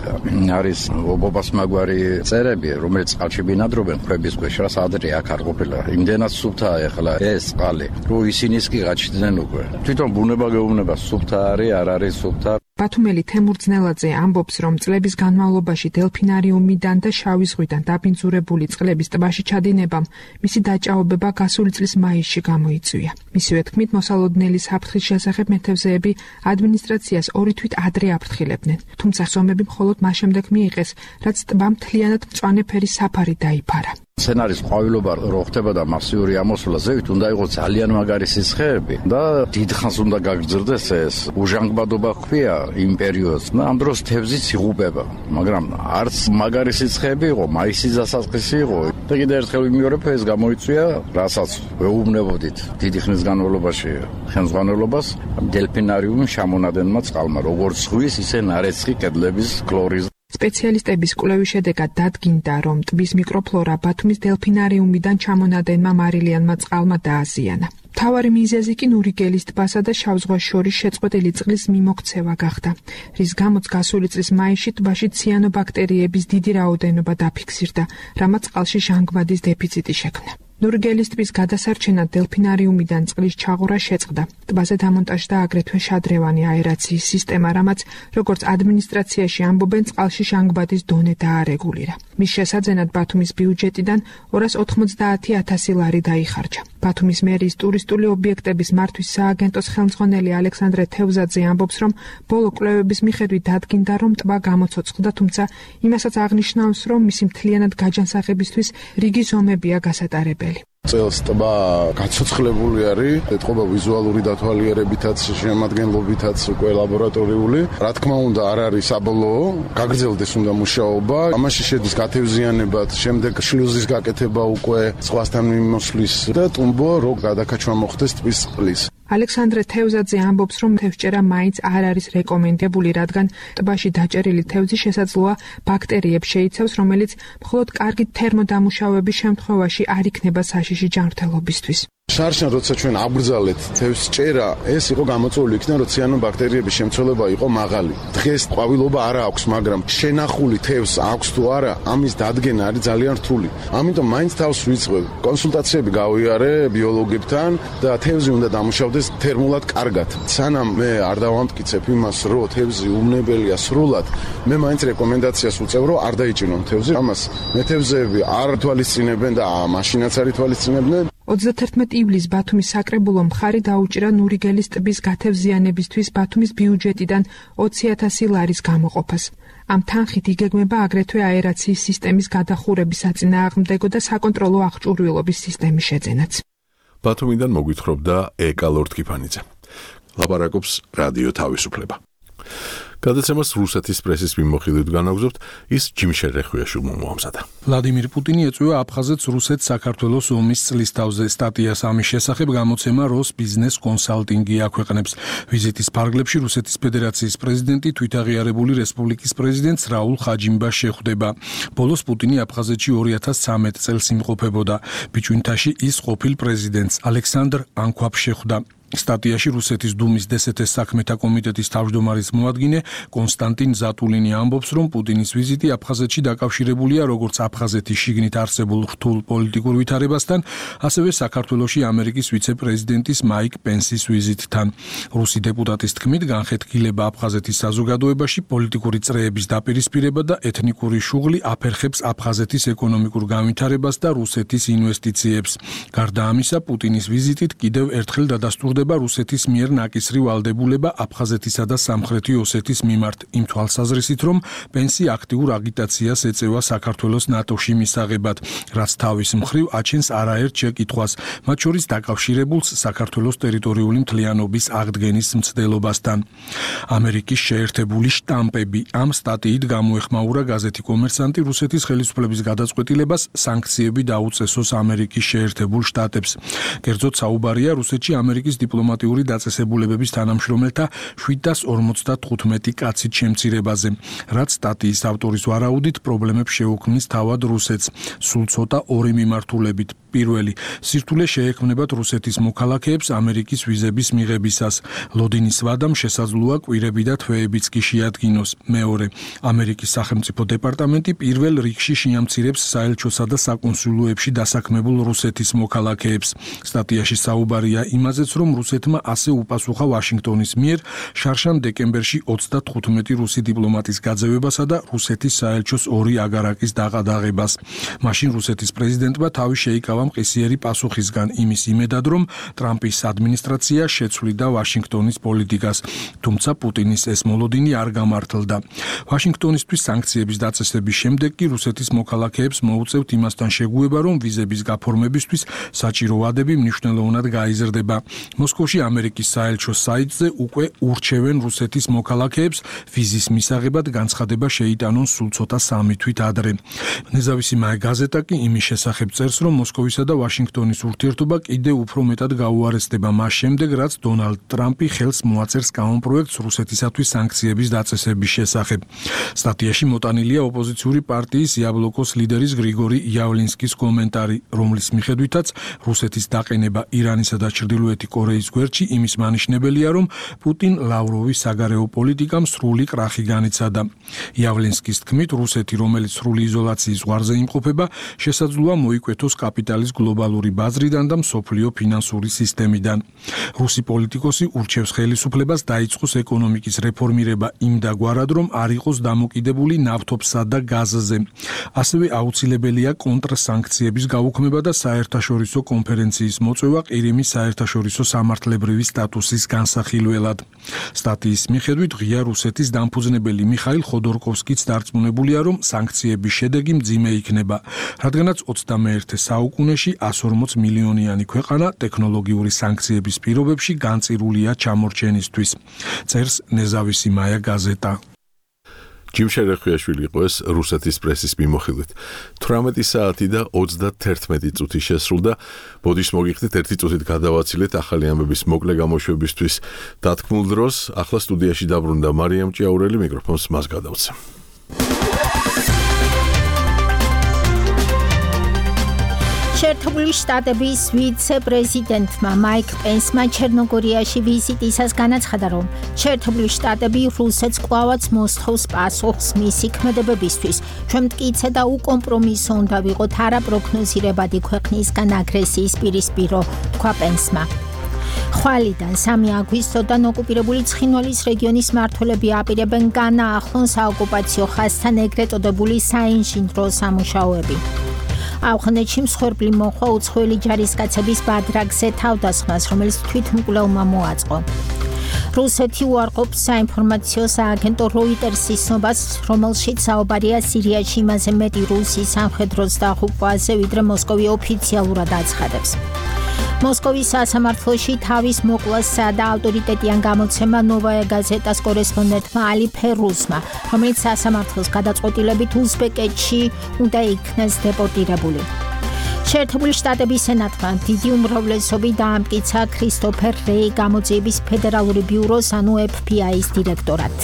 არის ობობას მაგვარი წერები, რომელიც წყალში ბინადრობენ, ქვების ქვეშ, ადრე აქ არ ყოფილა. იმდენად სუფთაა ეხლა ეს წყალი, რომ ისინიც კი გაჩნდნენ უკვე. თვითონ ბუნება გეუბნება, სუფთა არის, არ არის სუფთა. ბათუმელი თემურ ძნელაძე ამბობს, რომ წლების განმავლობაში დელფინარიუმიდან და შავი ზღვიდან დაბინძურებული წყლების ტბაში ჩადინებამ მისი დაჭაობება გასული წლის მაისში გამოიწვია. მისივე თქმით, მოსალოდნელი საფრთხის შესახებ მეთევზეები ადმინისტრაციას 2 თვით ადრე აფრთხილებდნენ. თუმცა ზომები მხოლოდ მას შემდეგ მიიღეს, რაც ტბამ მთლიანად მწვანე ფერის საფარი დაიფარა. სცენარის ყვავილობა რო ხდება და მასიური ამოსვლა ზევით უნდა იყოს ძალიან მაგარი სიცხეები და დიდხანს უნდა გაგრძელდეს ეს უჟანგბადობა ჰქვია იმ პერიოდს და ამ დროს თევზიც იღუპება მაგრამ არც მაგარი სიცხეები იყო მაისის დასაწყისი იყო და კიდევ ერთხელ ვიმეორებ ეს გამოიწვია რასაც ვეუბნებოდით დიდი ხნის განმავლობაში ხელმძღვანელობას დელფინარიუმის შემონადენმა წყალმა როგორც ზღვის ისე ნარეცხი კედლების კლორის სპეციალისტების კვლევის შედეგად დადგინდა, რომ ტბის მიკროფლორა ბათუმის დელფინარიუმიდან ჩამონადენმა მარილიანმა წყალმა დააზიანა. მთავარი მიზეზი კი ნურიგელის ტბასა და შავ ზღვას შორის შეწყვეტილი წყლის მიმოქცევა გახდა, რის გამოც გასული წლის მაისში ტბაში ციანობაქტერიების დიდი რაოდენობა დაფიქსირდა, რამაც წყალში ჟანგბადის დეფიციტი შექმნა. ნურიგელის ტბის გადასარჩენად დელფინარიუმიდან წყლის ჩაღვრა შეწყდა. ტბაზე დამონტაჟდა აგრეთვე შადრევანი აერაციის სისტემა, რამაც, როგორც ადმინისტრაციაში ამბობენ, წყალში ჟანგბადის დონე დაარეგულირა. მის შესაძენად ბათუმის ბიუჯეტიდან 290,000 ლარი დაიხარჯა. ბათუმის მერიის ტურისტული ობიექტების მართვის სააგენტოს ხელმძღვანელი ალექსანდრე თევზაძე ამბობს, რომ ბოლო კვლევების მიხედვით დადგინდა, რომ ტბა გამოცოცხლდა, თუმცა იმასაც აღნიშნავს, რომ მისი მთლიანად გაჯანსაღებისთვის რიგი ზომებია გასატარებელი. წელს ტბა გაცოცხლებული არის, ეთყობა ვიზუალური დათვალიერებითაც, შემადგენლობითაც, უკვე ლაბორატორიული. რა თქმა უნდა, არ არის საბოლოო, გაგრძელდეს უნდა მუშაობა. ამაში შედის გათევზიანებად, შემდეგ შლუზის გაკეთება უკვე ზღვასთან მიმოსვლის და ტუმბო რო გადაკაჩვა მოხდეს ტბის წყლის. ალექსანდრე თევზაძე ამბობს, რომ თევზჭერა მაინც არ არის რეკომენდებული, რადგან ტბაში დაჭერილი თევზი შესაძლოა ბაქტერიებს შეიცავს, რომელიც მხოლოდ კარგი თერმოდამუშავების შემთხვევაში არ იქნება საშიში ჯანმრთელობისთვის. შარშან როცა ჩვენ აბრძალეთ თევზჭერა, ეს იყო გამოწვეული იქნა, რომ ციანობაქტერიების შემცველობა იყო მაღალი. დღეს ყვავილობა არ აქვს, მაგრამ შენახული თევზს აქვს თუ არა, ამის დადგენა არის ძალიან რთული. ამიტომ მაინც თავს ვიწყებ. კონსულტაციები გავიარე ბიოლოგებთან და თევზი უნდა დამუშავდეს თერმულად კარგად. სანამ მე არ დავამტკიცებ იმას, რომ თევზი უვნებელია სრულად, მე მაინც რეკომენდაციას ვუწევ, რომ არ დაიჭირონ თევზი. ამას მეთევზეები არ თვალისწინებენ და მაშინაც არ თვალისწინებდნენ. 31 ივლისს ბათუმის საკრებულო მხარი დაუჭირა ნურიგელის ტბის გათევზიანებისთვის ბათუმის ბიუჯეტიდან 20,000 ლარის გამოყოფას. ამ თანხით იგეგმება აგრეთვე აერაციის სისტემის გადახურების საწინააღმდეგო და საკონტროლო აღჭურვილობის სისტემის შეძენაც. ბათუმიდან მოგვითხრობდა ეკა ლორდკიფანიძე. ლაპარაკობს რადიო თავისუფლება. გადაცემას რუსეთის პრესის მიმოხილვით განაგზობთ, ის ჯიმშერ რეხვიაშვილმა მოამზადა. ვლადიმირ პუტინი ეწვია აფხაზეთს რუსეთს საქართველოს ომის წლის თავზე. სტატიას ამის შესახებ გამოცემა როს ბიზნეს კონსალტინგი აქვეყნებს. ვიზიტის ფარგლებში რუსეთის ფედერაციის პრეზიდენტი თვითაღიარებული რესპუბლიკის პრეზიდენტს რაულ ხაჯიმბას შეხვდება. ბოლოს პუტინი აფხაზეთში 2013 წელს იმყოფებოდა. ბიჭვინთაში ის ყოფილ პრეზიდენტს ალექსანდრ ანქვაპს შეხვდა. სტატიაში რუსეთის დუმის დსთ-ის საქმეთა კომიტეტის თავმჯდომარის მოადგილე კონსტანტინ ზატულინი ამბობს, რომ პუტინის ვიზიტი აფხაზეთში დაკავშირებულია როგორც აფხაზეთის შიგნით არსებულ რთულ პოლიტიკურ ვითარებასთან, ასევე საქართველოში ამერიკის ვიცე-პრეზიდენტის მაიკ პენსის ვიზიტთან. რუსი დეპუტატის თქმით, განხეთქილება აფხაზეთის საზოგადოებაში პოლიტიკური წრეების დაპირისპირება და ეთნიკური შუღლი აფერხებს აფხაზეთის ეკონომიკურ განვითარებას და რუსეთის ინვესტიციებს. გარდა ამისა, პუტინის ვიზიტით კიდევ ერთხელ დადასტურდა რუსეთის მიერ ნაკისრი ვალდებულება აფხაზეთისა და სამხრეთი ოსეთის მიმართ იმ თვალსაზრისით, რომ პენსი აქტიურ აგიტაციას ეწევა საქართველოს ნატოში მისაღებად, რაც თავის მხრივ აჩენს არაერთ შეკითხვას, მათ შორის დაკავშირებულს საქართველოს ტერიტორიული მთლიანობის აღდგენის მცდელობასთან. ამერიკის შეერთებული შტამპები ამ სტატიით გამოეხმაურა გაზეთი კომერსანტი რუსეთის ხელისუფლების გადაწყვეტილებას სანქციები დაუწესოს ამერიკის შეერთებულ შტატებს. კერძოდ საუბარია რუსეთში ამერიკის დიპლომატიური დაწესებულებების თანამშრომელთა 755 კაცით შემცირებაზე, რაც სტატიის ავტორის ვარაუდით პრობლემებს შეუქმნის თავად რუსეთს, სულ ცოტა ორი მიმართულებით. პირველი, სირთულე შეექმნებათ რუსეთის მოქალაქეებს ამერიკის ვიზების მიღებისას. ლოდინის ვადამ შესაძლოა კვირები და თვეებიც კი შეადგინოს. მეორე, ამერიკის სახელმწიფო დეპარტამენტი პირველ რიგში შეამცირებს საელჩოსა და საკონსულოებში დასაქმებულ რუსეთის მოქალაქეებს. სტატიაში საუბარია იმაზეც, რომ რუსეთმა ასე უპასუხა ვაშინგტონის მიერ შარშან დეკემბერში 35 რუსი დიპლომატის გაძევებასა და რუსეთის საელჩოს 2 აგარაკის დაყადაღებას. მაშინ რუსეთის პრეზიდენტმა თავი შეიკავა მყისიერი პასუხისგან იმის იმედად, რომ ტრამპის ადმინისტრაცია შეცვლიდა ვაშინგტონის პოლიტიკას, თუმცა პუტინის ეს მოლოდინი არ გამართლდა. ვაშინგტონისთვის სანქციების დაწესების შემდეგ კი რუსეთის მოქალაქეებს მოუწევთ იმასთან შეგუება, რომ ვიზების გაფორმებისთვის საჭირო ვადები მნიშვნელოვნად გაიზრდება. მოსკოვში ამერიკის საელჩოს საიტზე უკვე ურჩევენ რუსეთის მოქალაქეებს ვიზის მისაღებად განცხადება შეიტანონ სულ ცოტა 3 თვით ადრე. ნეზავისი მაე გაზეტა კი იმის შესახებ წერს, რომ მოსკოვისა და ვაშინგტონის ურთიერთობა კიდევ უფრო მეტად გაუარესდება მას შემდეგ, რაც დონალდ ტრამპი ხელს მოაწერს კანონპროექტს რუსეთისათვის სანქციების დაწესების შესახებ. სტატიაში მოტანილია ოპოზიციური პარტიის იაბლოკოს ლიდერის გრიგორი იავლინსკის კომენტარი, რომლის მიხედვითაც რუსეთის დაყენება ირანისა და ჩრდილოეთი კორეის გვერდში იმის მანიშნებელია, რომ პუტინ ლავროვის საგარეო პოლიტიკამ სრული კრახი განიცადა. იავლინსკის თქმით, რუსეთი, რომელიც სრული იზოლაციის ზღვარზე იმყოფება, შესაძლოა მოიკვეთოს კაპიტალის გლობალური ბაზრიდან და მსოფლიო ფინანსური სისტემიდან. რუსი პოლიტიკოსი ურჩევს ხელისუფლებას დაიწყოს ეკონომიკის რეფორმირება იმდაგვარად, რომ არ იყოს დამოკიდებული ნავთობსა და გაზზე. ასევე აუცილებელია კონტრსანქციების გაუქმება და საერთაშორისო კონფერენციის მოწვევა ყირიმის საერთაშორისო სამართლებრივი სტატუსის განსახილველად. სტატიის მიხედვით ღია რუსეთის დამფუძნებელი მიხაილ ხოდორკოვსკიც დარწმუნებულია, რომ სანქციების შედეგი მძიმე იქნება, რადგანაც 21 საუკუნეში 140 მილიონიანი ქვეყანა ტექნოლოგიური სანქციების პირობებში განწირულია ჩამორჩენისთვის. წერს ნეზავისი მაია გაზეტა. ჯიმ შერეხვიაშვილი იყო ეს რუსეთის პრესის მიმოხილვით. 18 საათი და 31 წუთი შესრულდა. ბოდიშს მოგიხდით 1 წუთით გადავაცილეთ ახალი ამბების მოკლე გამოშვებისთვის დათქმულ დროს. ახლა სტუდიაში დაბრუნდა მარიამ ჭიაურელი, მიკროფონს მას გადავცემ. შეერთებული შტატების ვიცე-პრეზიდენტმა მაიკ პენსმა ჩერნოგორიაში ვიზიტისას განაცხადა, რომ შეერთებული შტატები რუსეთს კვლავაც მოსთხოვს პასუხს მისი ქმედებებისთვის. ჩვენ მტკიცე და უკომპრომისო უნდა ვიყოთ არაპროგნოზირებადი ქვეყნისგან აგრესიის პირისპირო, თქვა პენსმა. ხვალიდან 3 აგვისტოდან ოკუპირებული ცხინვალის რეგიონის მმართველები აპირებენ განაახლონ საოკუპაციო ხაზთან ეგრეთ წოდებული საინჟინრო სამუშაოები. ავღანეთში მსხვერპლი მოხვა უცხოელი ჯარისკაცების ბადრაგზე თავდასხმას, რომელიც თვითმკვლელმა მოაწყო. რუსეთი უარყოფს საინფორმაციო სააგენტო როიტერსის ცნობას, რომელშიც საუბარია სირიაში იმაზე მეტი რუსი სამხედრო დაღუპვაზე, ვიდრე მოსკოვი ოფიციალურად აცხადებს. მოსკოვის სასამართლოში თავის მოკლასსა და ავტორიტეტიან გამოცემა ნოვაია გაზეტას კორესპონდენტმა ალი ფერუსმა, რომელიც სასამართლოს გადაწყვეტილებით უზბეკეთში უნდა იქნეს დეპორტირებული. შეერთებული შტატების სენატმა დიდი უმრავლესობით დაამტკიცა ქრისტოფერ რეი გამოძიების ფედერალური ბიუროს, ანუ FBI-ის დირექტორად.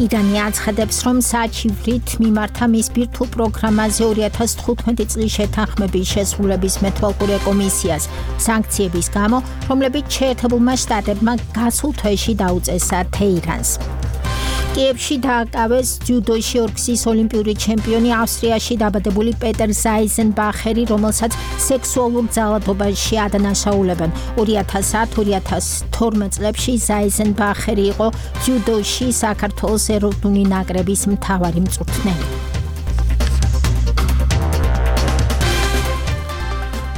ირანი აცხადებს, რომ საჩივრით მიმართა მის ბირთვულ პროგრამაზე 2015 წლის შეთანხმების შესრულების მეთვალყურე კომისიას სანქციების გამო, რომლებიც შეერთებულმა შტატებმა გასულ თვეში დაუწესა თეირანს. კიევში დააკავეს ჯუდოში 2 გზის ოლიმპიური ჩემპიონი, ავსტრიაში დაბადებული პეტერ ზაიზენბახერი, რომელსაც სექსუალურ ძალადობაში ადანაშაულებენ. 2010-2012 წლებში ზაიზენბახერი იყო ჯუდოში საქართველოს ეროვნული ნაკრების მთავარი მწვრთნელი.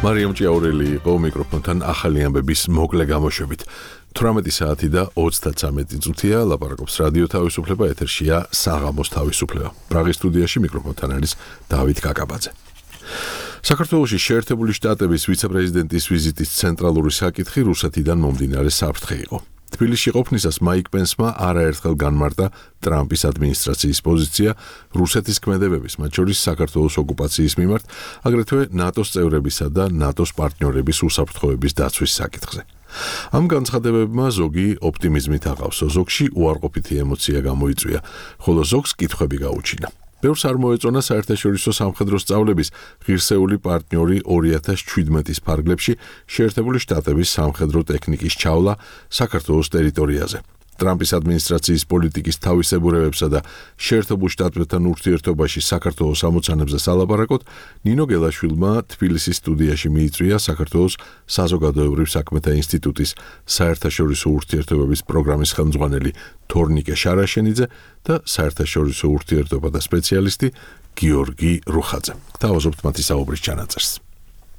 მარიამ ჭიაურელი იყო მიკროფონთან ახალი ამბების მოკლე გამოშვებით. 18 საათი და 33 წუთია, ლაპარაკობს რადიო თავისუფლება, ეთერშია საღამოს თავისუფლება. პრაღის სტუდიაში მიკროფონთან არის დავით კაკაბაძე. საქართველოში შეერთებული შტატების ვიცე-პრეზიდენტის ვიზიტის ცენტრალური საკითხი რუსეთიდან მომდინარე საფრთხე იყო. თბილისში ყოფნისას მაიკ პენსმა არაერთხელ განმარტა ტრამპის ადმინისტრაციის პოზიცია რუსეთის ქმედებების, მათ შორის საქართველოს ოკუპაციის მიმართ, აგრეთვე ნატოს წევრებისა და ნატოს პარტნიორების უსაფრთხოების დაცვის საკითხზე. ამ განცხადებებმა ზოგი ოპტიმიზმით აღავსო, ზოგში უარყოფითი ემოცია გამოიწვია, ხოლო ზოგს კითხვები გაუჩინა. ბევრს არ მოეწონა საერთაშორისო სამხედრო სწავლების ღირსეული პარტნიორი 2017 ფარგლებში შეერთებული შტატების სამხედრო ტექნიკის ჩავლა საქართველოს ტერიტორიაზე. ტრამპის ადმინისტრაციის პოლიტიკის თავისებურებებსა და შეერთებულ შტატებთან ურთიერთობაში საქართველოს ამოცანებზე სალაპარაკოდ, ნინო გელაშვილმა თბილისის სტუდიაში მიიწვია საქართველოს საზოგადოებრივ საქმეთა ინსტიტუტის საერთაშორისო ურთიერთობების პროგრამის ხელმძღვანელი თორნიკე შარაშენიძე და საერთაშორისო ურთიერთობათა სპეციალისტი გიორგი რუხაძე. Თავაზობთ მათი საუბრის ჩანაწერს.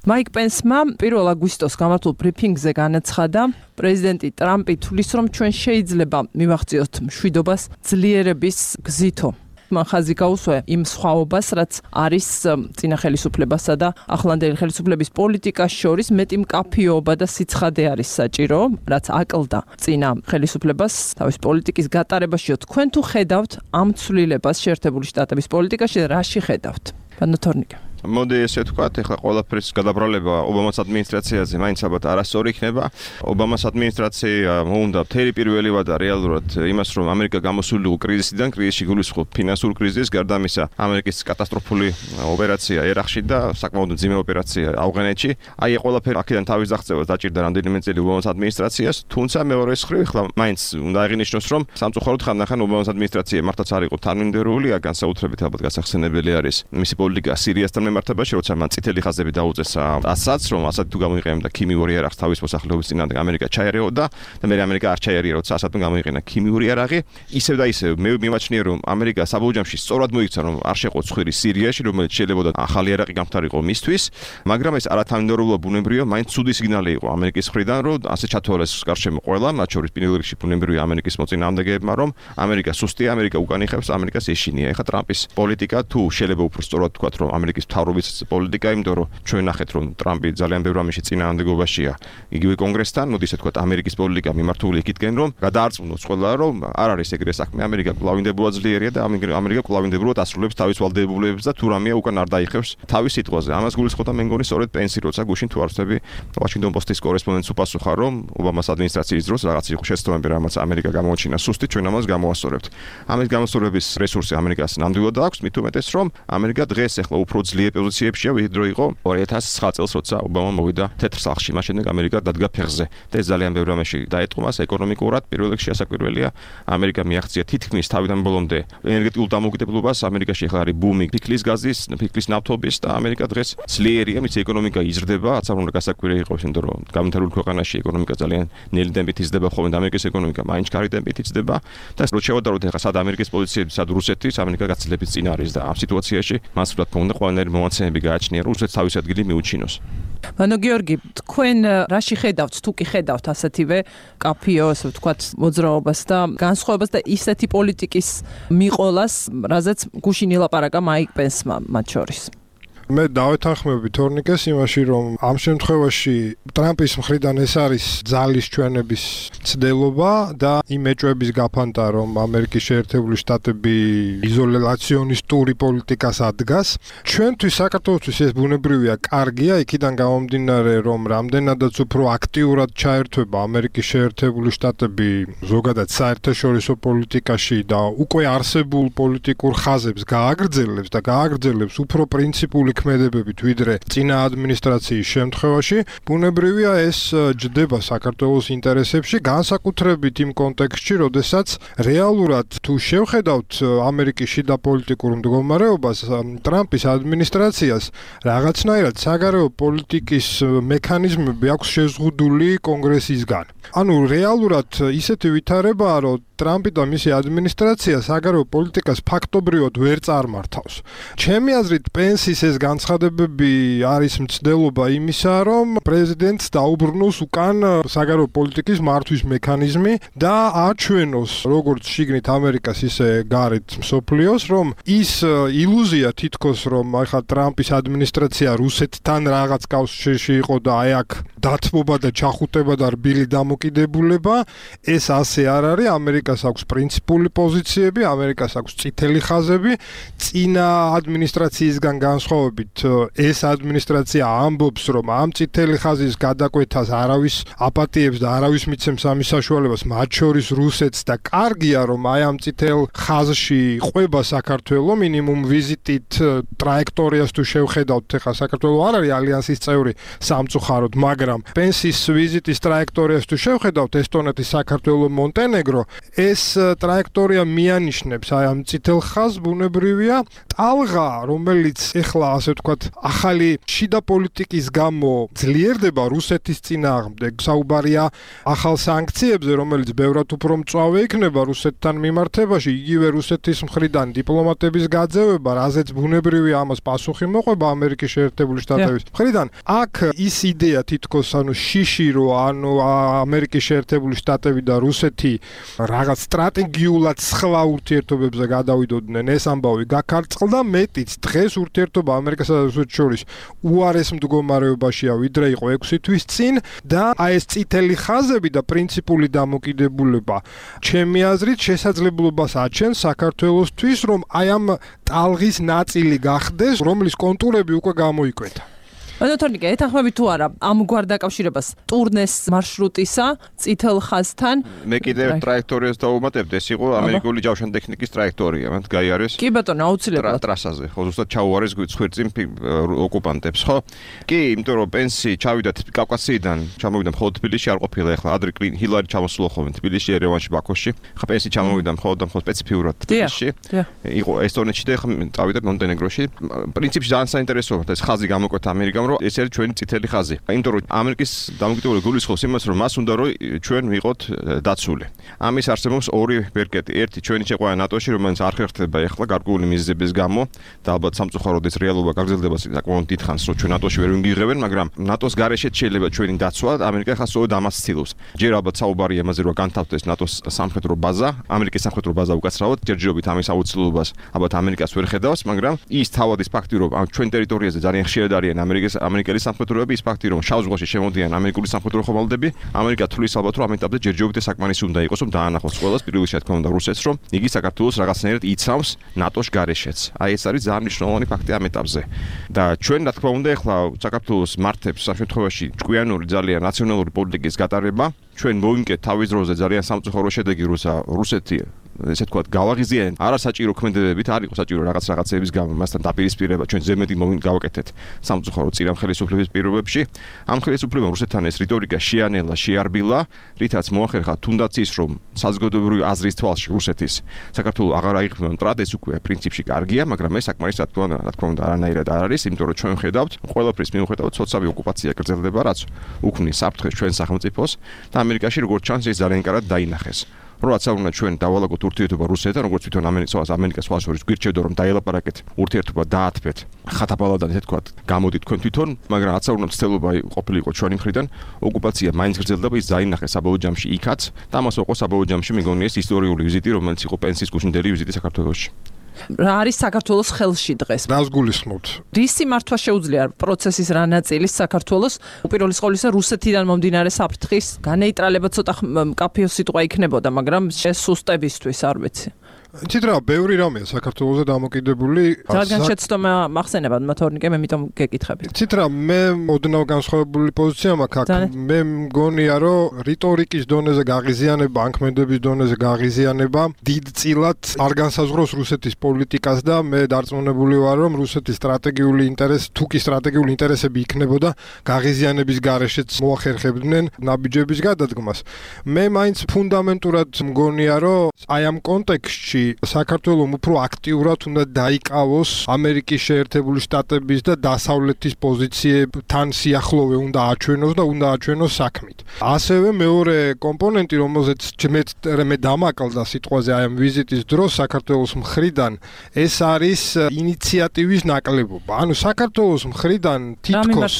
მაიკ პენსმა 1 აგვისტოს გამართულ ბრიფინგზე განაცხადა, პრეზიდენტი ტრამპი თვლის, რომ ჩვენ შეიძლება მივახციოთ მშვიდობას ძლიერების გზითო. მან ხაზი გაუსვა იმ სხვაობას, რაც არის წინა ხელისუფლებასა და ახლანდელი ხელისუფლების პოლიტიკას შორის მეტი მკაფიობა და სიცხადე არის საჭირო, რაც აკლდა წინა ხელისუფლებას თავის პოლიტიკის გატარებაშიო. თქვენ თუ ხედავთ ამ ცვლილებას შეერთებული შტატების პოლიტიკაში და რაში ხედავთ? ბანო თორნიკე. მოდი ესე ვთქვათ, ეხლა ყველაფრის გადაბრალება ობამას ადმინისტრაციაზე მაინც ალბათ არასწორი იქნება. ობამას ადმინისტრაცია მოუნდა მთელი პირველი ვადა რეალურად იმას, რომ ამერიკა გამოსულიყო კრიზისიდან, კრიზისში გულისხმობ ფინანსურ კრიზისს, გარდა ამისა, ამერიკის კატასტროფული ოპერაცია ერახში და საკმაოდ მძიმე ოპერაცია ავღანეთში. აი, ყველაფერი აქედან თავის აღწევას დაჭირდა რამდენიმე წელი ობამას ადმინისტრაციას, თუმცა მეორე მხრივ ეხლა მაინც უნდა აღინიშნოს, რომ სამწუხაროდ ხანდახან ობამას ადმინისტრაცია მართლაც არ იყო თანმიმდევრული, განსაკუთრებით ალბათ გასახსენებელი არის მისი პოლიტიკა სირიასთან მართებაში, როცა მან წითელი ხაზები დაუწესა ასადს, რომ ასად თუ გამოიყენა ქიმიური იარაღს თავის მოსახლეობის წინააღმდეგ ამერიკა ჩაერეოდა და მე ამერიკა არ ჩაერია, როცა ასადმა გამოიყენა ქიმიური იარაღი. ისევ და ისევ მე მიმაჩნია, რომ ამერიკა საბოლოოში სწორად მოიქცა, რომ არ შეყო ცხვირი სირიაში, რომელიც შეიძლება ახალი იარაღი გამხდარიყო მისთვის, მაგრამ ეს არათანმიმდევრულობა ბუნებრივია, მაინც ცუდი სიგნალი იყო ამერიკის მხრიდან, რომ ასე ჩათვალეს გარშემო ყველა, მათ შორის პირველ რიგში ბუნებრივია ამერიკის მოწინააღმდეგეებმა, რომ ამერიკა სუსტია, ამერიკა უკან იხევს, ამერიკას ეშინია. ეხლა ტრამპის პოლიტიკა თუ შეიძლება უფრო სწორად თქვა, რომ ამერიკის მთავრობის პოლიტიკა, იმიტომ რომ ჩვენ ნახეთ, რომ ტრამპი ძალიან ბევრ ამაში წინააღმდეგობაშია იგივე კონგრესთან, მოდი ესე ვთქვათ, ამერიკის პოლიტიკა მიმართული იქითკენ, რომ გადაარწმუნოს ყველა, რომ არ არის ეგრე საქმე, ამერიკა კვლავინდებურად ძლიერია და ამერიკა კვლავინდებურად ასრულებს თავის ვალდებულებებს და თუ რამეა უკან არ დაიხევს თავის სიტყვაზე. ამას გულისხმობდა მე მგონი სწორედ პენსი, როცა გუშინ თუ არ ვწდები, ვაშინგტონ პოსტის კორესპონდენტს უპასუხა, რომ ობამას ადმინისტრაციის დროს რაღაც იყო შეცდომები, რამაც ამერიკა გამოაჩინა სუსტი, ჩვენ ამას გამოასწორებთ. ამის გამოსწორების რესურსი ამერიკას ნამდვილად აქვს, მით უმეტეს, რომ ამერიკა დღეს ახლა უფრო ძლიერ პოზიციებშია, ვიდრე რო იყო 2009 წელს, როცა ობამა მოვიდა თეთრ სახლში. მას შემდეგ ამერიკა დადგა ფეხზე და ეს ძალიან ბევრ რამეში დაეტყო მას ეკონომიკურად. პირველ რიგში ასაკვირველია, ამერიკა მიაღწია თითქმის თავიდან ბოლომდე ენერგეტიკულ დამოუკიდებლობას. ამერიკაში ახლა არის ბუმი ფიქლის გაზის, ფიქლის ნავთობის და ამერიკა დღეს ძლიერია, მის ეკონომიკა იზრდება, რაც არ უნდა გასაკვირი იყოს, იმიტომ რომ გამთარგმნულ ქვეყანაში ეკონომიკა ძალიან ნელი ტემპით იზრდება, ხოლმე ამერიკის ეკონომიკა მაინც კარგი ტემპით იზრდება და რო შევადაროთ ახლა სად ამერიკის პოზიციები, სად რუსეთის, ამერიკა გაცილებით წინ არის და ამ სიტუაციაში მას ვთქვათ, უნდა ყველანაირი მომაცემები გააჩნია, რომ რუსეთს თავისი ადგილი მიუჩინოს. ბანო გიორგი, თქვენ რაში ხედავთ, თუ კი ხედავთ ასეთივე კაფიო, ასე ვთქვათ, მოძრაობას და განსხვავებას და ისეთი პოლიტიკის მიყოლას, რაზეც გუშინ ილაპარაკა მაიკ პენსმა მათ შორის? მე დავეთანხმები თორნიკეს იმაში, რომ ამ შემთხვევაში ტრამპის მხრიდან ეს არის ძალის ჩვენების ცდელობა და იმ ეჭვების გაფანტა, რომ ამერიკის შეერთებული შტატები იზოლაციონისტური პოლიტიკას ადგას. ჩვენთვის საქართველოსთვის ეს ბუნებრივია, კარგია, იქიდან გამომდინარე, რომ რამდენადაც უფრო აქტიურად ჩაერთვება ამერიკის შეერთებული შტატები ზოგადად საერთაშორისო პოლიტიკაში და უკვე არსებულ პოლიტიკურ ხაზებს გააგრძელებს და გააგრძელებს უფრო პრინციპული ქმედებებით ვიდრე წინა ადმინისტრაციის შემთხვევაში, ბუნებრივია ეს ჯდება საქართველოს ინტერესებში, განსაკუთრებით იმ კონტექსტში, როდესაც რეალურად თუ შევხედავთ ამერიკის შიდა პოლიტიკურ მდგომარეობას, ტრამპის ადმინისტრაციას რაღაცნაირად საგარეო პოლიტიკის მექანიზმები აქვს შეზღუდული კონგრესისგან. ანუ რეალურად ისეთი ვითარებაა, რომ ტრამპი და მისი ადმინისტრაცია საგარეო პოლიტიკას ფაქტობრივად ვერ წარმართავს. ჩემი აზრით, პენსის ეს განცხადებები არის მცდელობა იმისა, რომ პრეზიდენტს დაუბრუნოს უკან საგარეო პოლიტიკის მართვის მექანიზმი და აჩვენოს როგორც შიგნით ამერიკას, ისე გარეთ მსოფლიოს, რომ ის ილუზია თითქოს, რომ ახლა ტრამპის ადმინისტრაცია რუსეთთან რაღაც კავშირში იყო და აი აქ დათმობა და ჩახუტება და რბილი დამოკიდებულება, ეს ასე არ არის. ამერიკას აქვს პრინციპული პოზიციები, ამერიკას აქვს წითელი ხაზები, წინა ადმინისტრაციისგან განსხვავებით ეს ადმინისტრაცია ამბობს, რომ ამ წითელი ხაზის გადაკვეთას არავის აპატიებს და არავის მიცემს ამის საშუალებას, მათ შორის რუსეთს და კარგია, რომ აი ამ წითელ ხაზში ყვება საქართველოს მინიმუმ ვიზიტით ტრაექტორიას თუ შევხედავთ, ახლა საქართველოს არ არის ალიანსის წევრი სამწუხაროდ, მაგრამ პენსის ვიზიტის ტრაექტორიას თუ შევხედავთ ესტონეთი, საქართველო, მონტენეგრო, ეს ტრაექტორია მიანიშნებს აი ამ წითელ ხაზს ბუნებრივია ტალღა, რომელიც ეხლა ასე ვთქვათ, ახალი შიდა პოლიტიკის გამო ძლიერდება რუსეთის წინააღმდეგ. საუბარია ახალ სანქციებზე, რომელიც ბევრად უფრო მწვავე იქნება რუსეთთან მიმართებაში, იგივე რუსეთის მხრიდან დიპლომატების გაძევება, რაზეც ბუნებრივია ამას პასუხი მოყვება ამერიკის შეერთებული შტატების მხრიდან. აქ ის იდეა თითქოს შიში რო ამერიკის შეერთებული შტატები და რუსეთი რაღაც სტრატეგიულად სხვა ურთიერთობებზე გადავიდოდნენ, ეს ამბავი გაქარწყლდა, მეტიც დღეს ურთიერთობა ამერიკასა და რუსეთს შორის უარეს მდგომარეობაშია, ვიდრე იყო 6 თვის წინ და აი ეს წითელი ხაზები და პრინციპული დამოკიდებულება ჩემი აზრით შესაძლებლობას აჩენს საქართველოსთვის, რომ აი ამ ტალღის ნაწილი გახდეს, რომლის კონტურები უკვე გამოიკვეთა. თორნიკე, ეთანხმები თუ არა ამ გვარ დაკავშირებას ტურნეს მარშრუტისა წითელ ხაზთან? მე კიდევ ტრაექტორიას დავუმატებთ, ეს იყო ამერიკული ჯავშანტექნიკის ტრაექტორია, მათ გაიარეს. კი ბატონო, აუცილებლად ტრასაზე, ხო, ზუსტად ჩაუარეს ხვირწინ ოკუპანტებს, ხო? კი, იმიტომ რომ პენსი ჩავიდათ კავკასიიდან, ჩამოვიდა მხოლოდ თბილისში არ ყოფილა, ეხლა ადრე ჰილარი ჩამოსულა ხოლმე თბილისში, ერევანში, ბაქოში. ხა პენსი ჩამოვიდა მხოლოდ სპეციფიურად თბილისში. იყო ესტონეთში და ხა წავიდა მონტენეგროში. პრინციპში ძალიან საინტერესოა ეს ხაზი გამოკვეთა ამერიკამ, რომ ეს არის ჩვენი წითელი ხაზი. იმიტომ რომ ამერიკის დამოკიდებული გულისხმობს იმას, რომ მას უნდა რომ ჩვენ ვიყოთ დაცული. ამის არსებობს ორი ვერკეტი. ერთი ჩვენი შეყვანა ნატოში, რომელიც არ ხერხდება ეხლა გარკვეული მიზეზების გამო და ალბათ სამწუხაროდ ეს რეალობა გაგრძელდება საკმაოდ დიდ ხანს, რომ ჩვენ ნატოში ვერ ვიმღიღებენ, მაგრამ ნატოს გარეშეც შეიძლება ჩვენი დაცვა. ამერიკა ხა სწორედ ამას ცდილობს. ჯერ ალბათ საუბარია იმაზე, რომ განთავდეს ნატოს სამხედრო ბაზა, ამერიკის სამხედრო ბაზა უკაცრავად, ჯერჯერობით ამის აუცილებლობას ალბათ ამერიკას ვერ ხედავს, მაგრამ ის თავად ის ფაქტი, რომ ჩვენ ტერიტორიაზე ძალიან ხშირად არიან ამერიკელი სამხედროები, ის ფაქტი, რომ შავ ზღვაში შემოდიან ამერიკული სამხედრო ხომალდები, ამერიკა თulis ალბათ რომ ამ ეტაპზე ჯერჯერობით საკმარისი უნდა იყოს, რომ დაანახოს ყველას, პირველ რიგში თქმა უნდა რუსეთს, რომ იგი საქართველოს რაღაცნაირად იცავს ნატოს გარეშეც. აი ეს არის ძალიან მნიშვნელოვანი ფაქტი ამ ეტაპზე. და ჩვენ რა თქმა უნდა ეხლა საქართველოს მართებს ამ შემთხვევაში ჭკვიანური ძალიან ნაციონალური პოლიტიკის გატარება, ჩვენ მოვიმკეთ თავის დროზე ძალიან სამწუხარო შედეგი, როცა რუსეთი ესე ვთქვათ, გავაღიზიანეთ არასაჭირო ქმედებებით, არ იყო საჭირო რაღაცების გამო, მასთან დაპირისპირება ჩვენ ზემეთი გავაკეთეთ სამწუხარო წინა ხელისუფლების პირობებში. ამ ხელისუფლებამ რუსეთთან ეს რიტორიკა შეანელა, შეარბილა, რითაც მოახერხა თუნდაც ის, რომ საზოგადოებრივი აზრის თვალში რუსეთის საქართველოს აღარ აიღებენ მტრად, ეს უკვე პრინციპში კარგია, მაგრამ ეს საკმარის რა თქმა უნდა არანაირად არ არის, იმიტომ რომ ჩვენ ხედავთ, ყველაფრის მიუხედავად ცოცხალი ოკუპაცია გრძელდება, რაც უქმნის საფრთხეს ჩვენ სახელმწიფოს და ამერიკაში როგორც ჩანს ეს ძალიან კარგად დაინახეს. როცა უნდა ჩვენ დავალაგოთ ურთიერთობა რუსეთთან, როგორც თვითონ ამერიკას სხვა შორის გვირჩევდა რომ დაელაპარაკეთ ურთიერთობა დაათბეთ. ხათაბალადან ესე ვთქვათ, გამოდით თქვენ თვითონ, მაგრამ რაც უნდა ცდილობა ყოფილიყო ჩვენი მხრიდან, ოკუპაცია მაინც გრძელდება, ის დაინახეს საბოლოო ჯამში იქაც და ამას იყო საბოლოო ჯამში მეგონია ეს ისტორიული ვიზიტი, რომელიც იყო პენსის გუშინდელი ვიზიტი საქართველოში. რა არის საქართველოს ხელში დღეს? რას გულისხმობთ? რისი მართვა შეუძლია პროცესის რა ნაწილის საქართველოს უპირველეს ყოვლისა რუსეთიდან მომდინარე საფრთხის განეიტრალება ცოტა მკაფიო სიტყვა იქნებოდა, მაგრამ შესუსტებისთვის არ ვიცი. იცით რა, ბევრი რამეა საქართველოზე დამოკიდებული. რადგან შეცდომა მახსენებად თორნიკე, მე მიტომ გეკითხები. იცით რა, მე ოდნავ განსხვავებული პოზიცია მაქვს აქ. მე მგონია, რომ რიტორიკის დონეზე გაღიზიანება, ანქმედების დონეზე გაღიზიანება დიდწილად არ განსაზღვროს რუსეთის პოლიტიკას და მე დარწმუნებული ვარ, რომ რუსეთის სტრატეგიული ინტერესი, თუ კი სტრატეგიული ინტერესები იქნებოდა, გაღიზიანების გარეშეც მოახერხებდნენ ნაბიჯების გადადგმას. მე მაინც ფუნდამენტურად მგონია, რომ აი ამ კონტექსტში საქართველოს უფრო აქტიურად უნდა დაიკავოს ამერიკის შეერთებული შტატების და დასავლეთის პოზიციებთან სიახლოვე უნდა აჩვენოს და უნდა აჩვენოს საქმით. ასევე მეორე კომპონენტი, რომელზეც მე დამაკლდა სიტყვაზე აი ამ ვიზიტის დროს საქართველოს მხრიდან, ეს არის ინიციატივის ნაკლებობა. ანუ საქართველოს მხრიდან თითქოს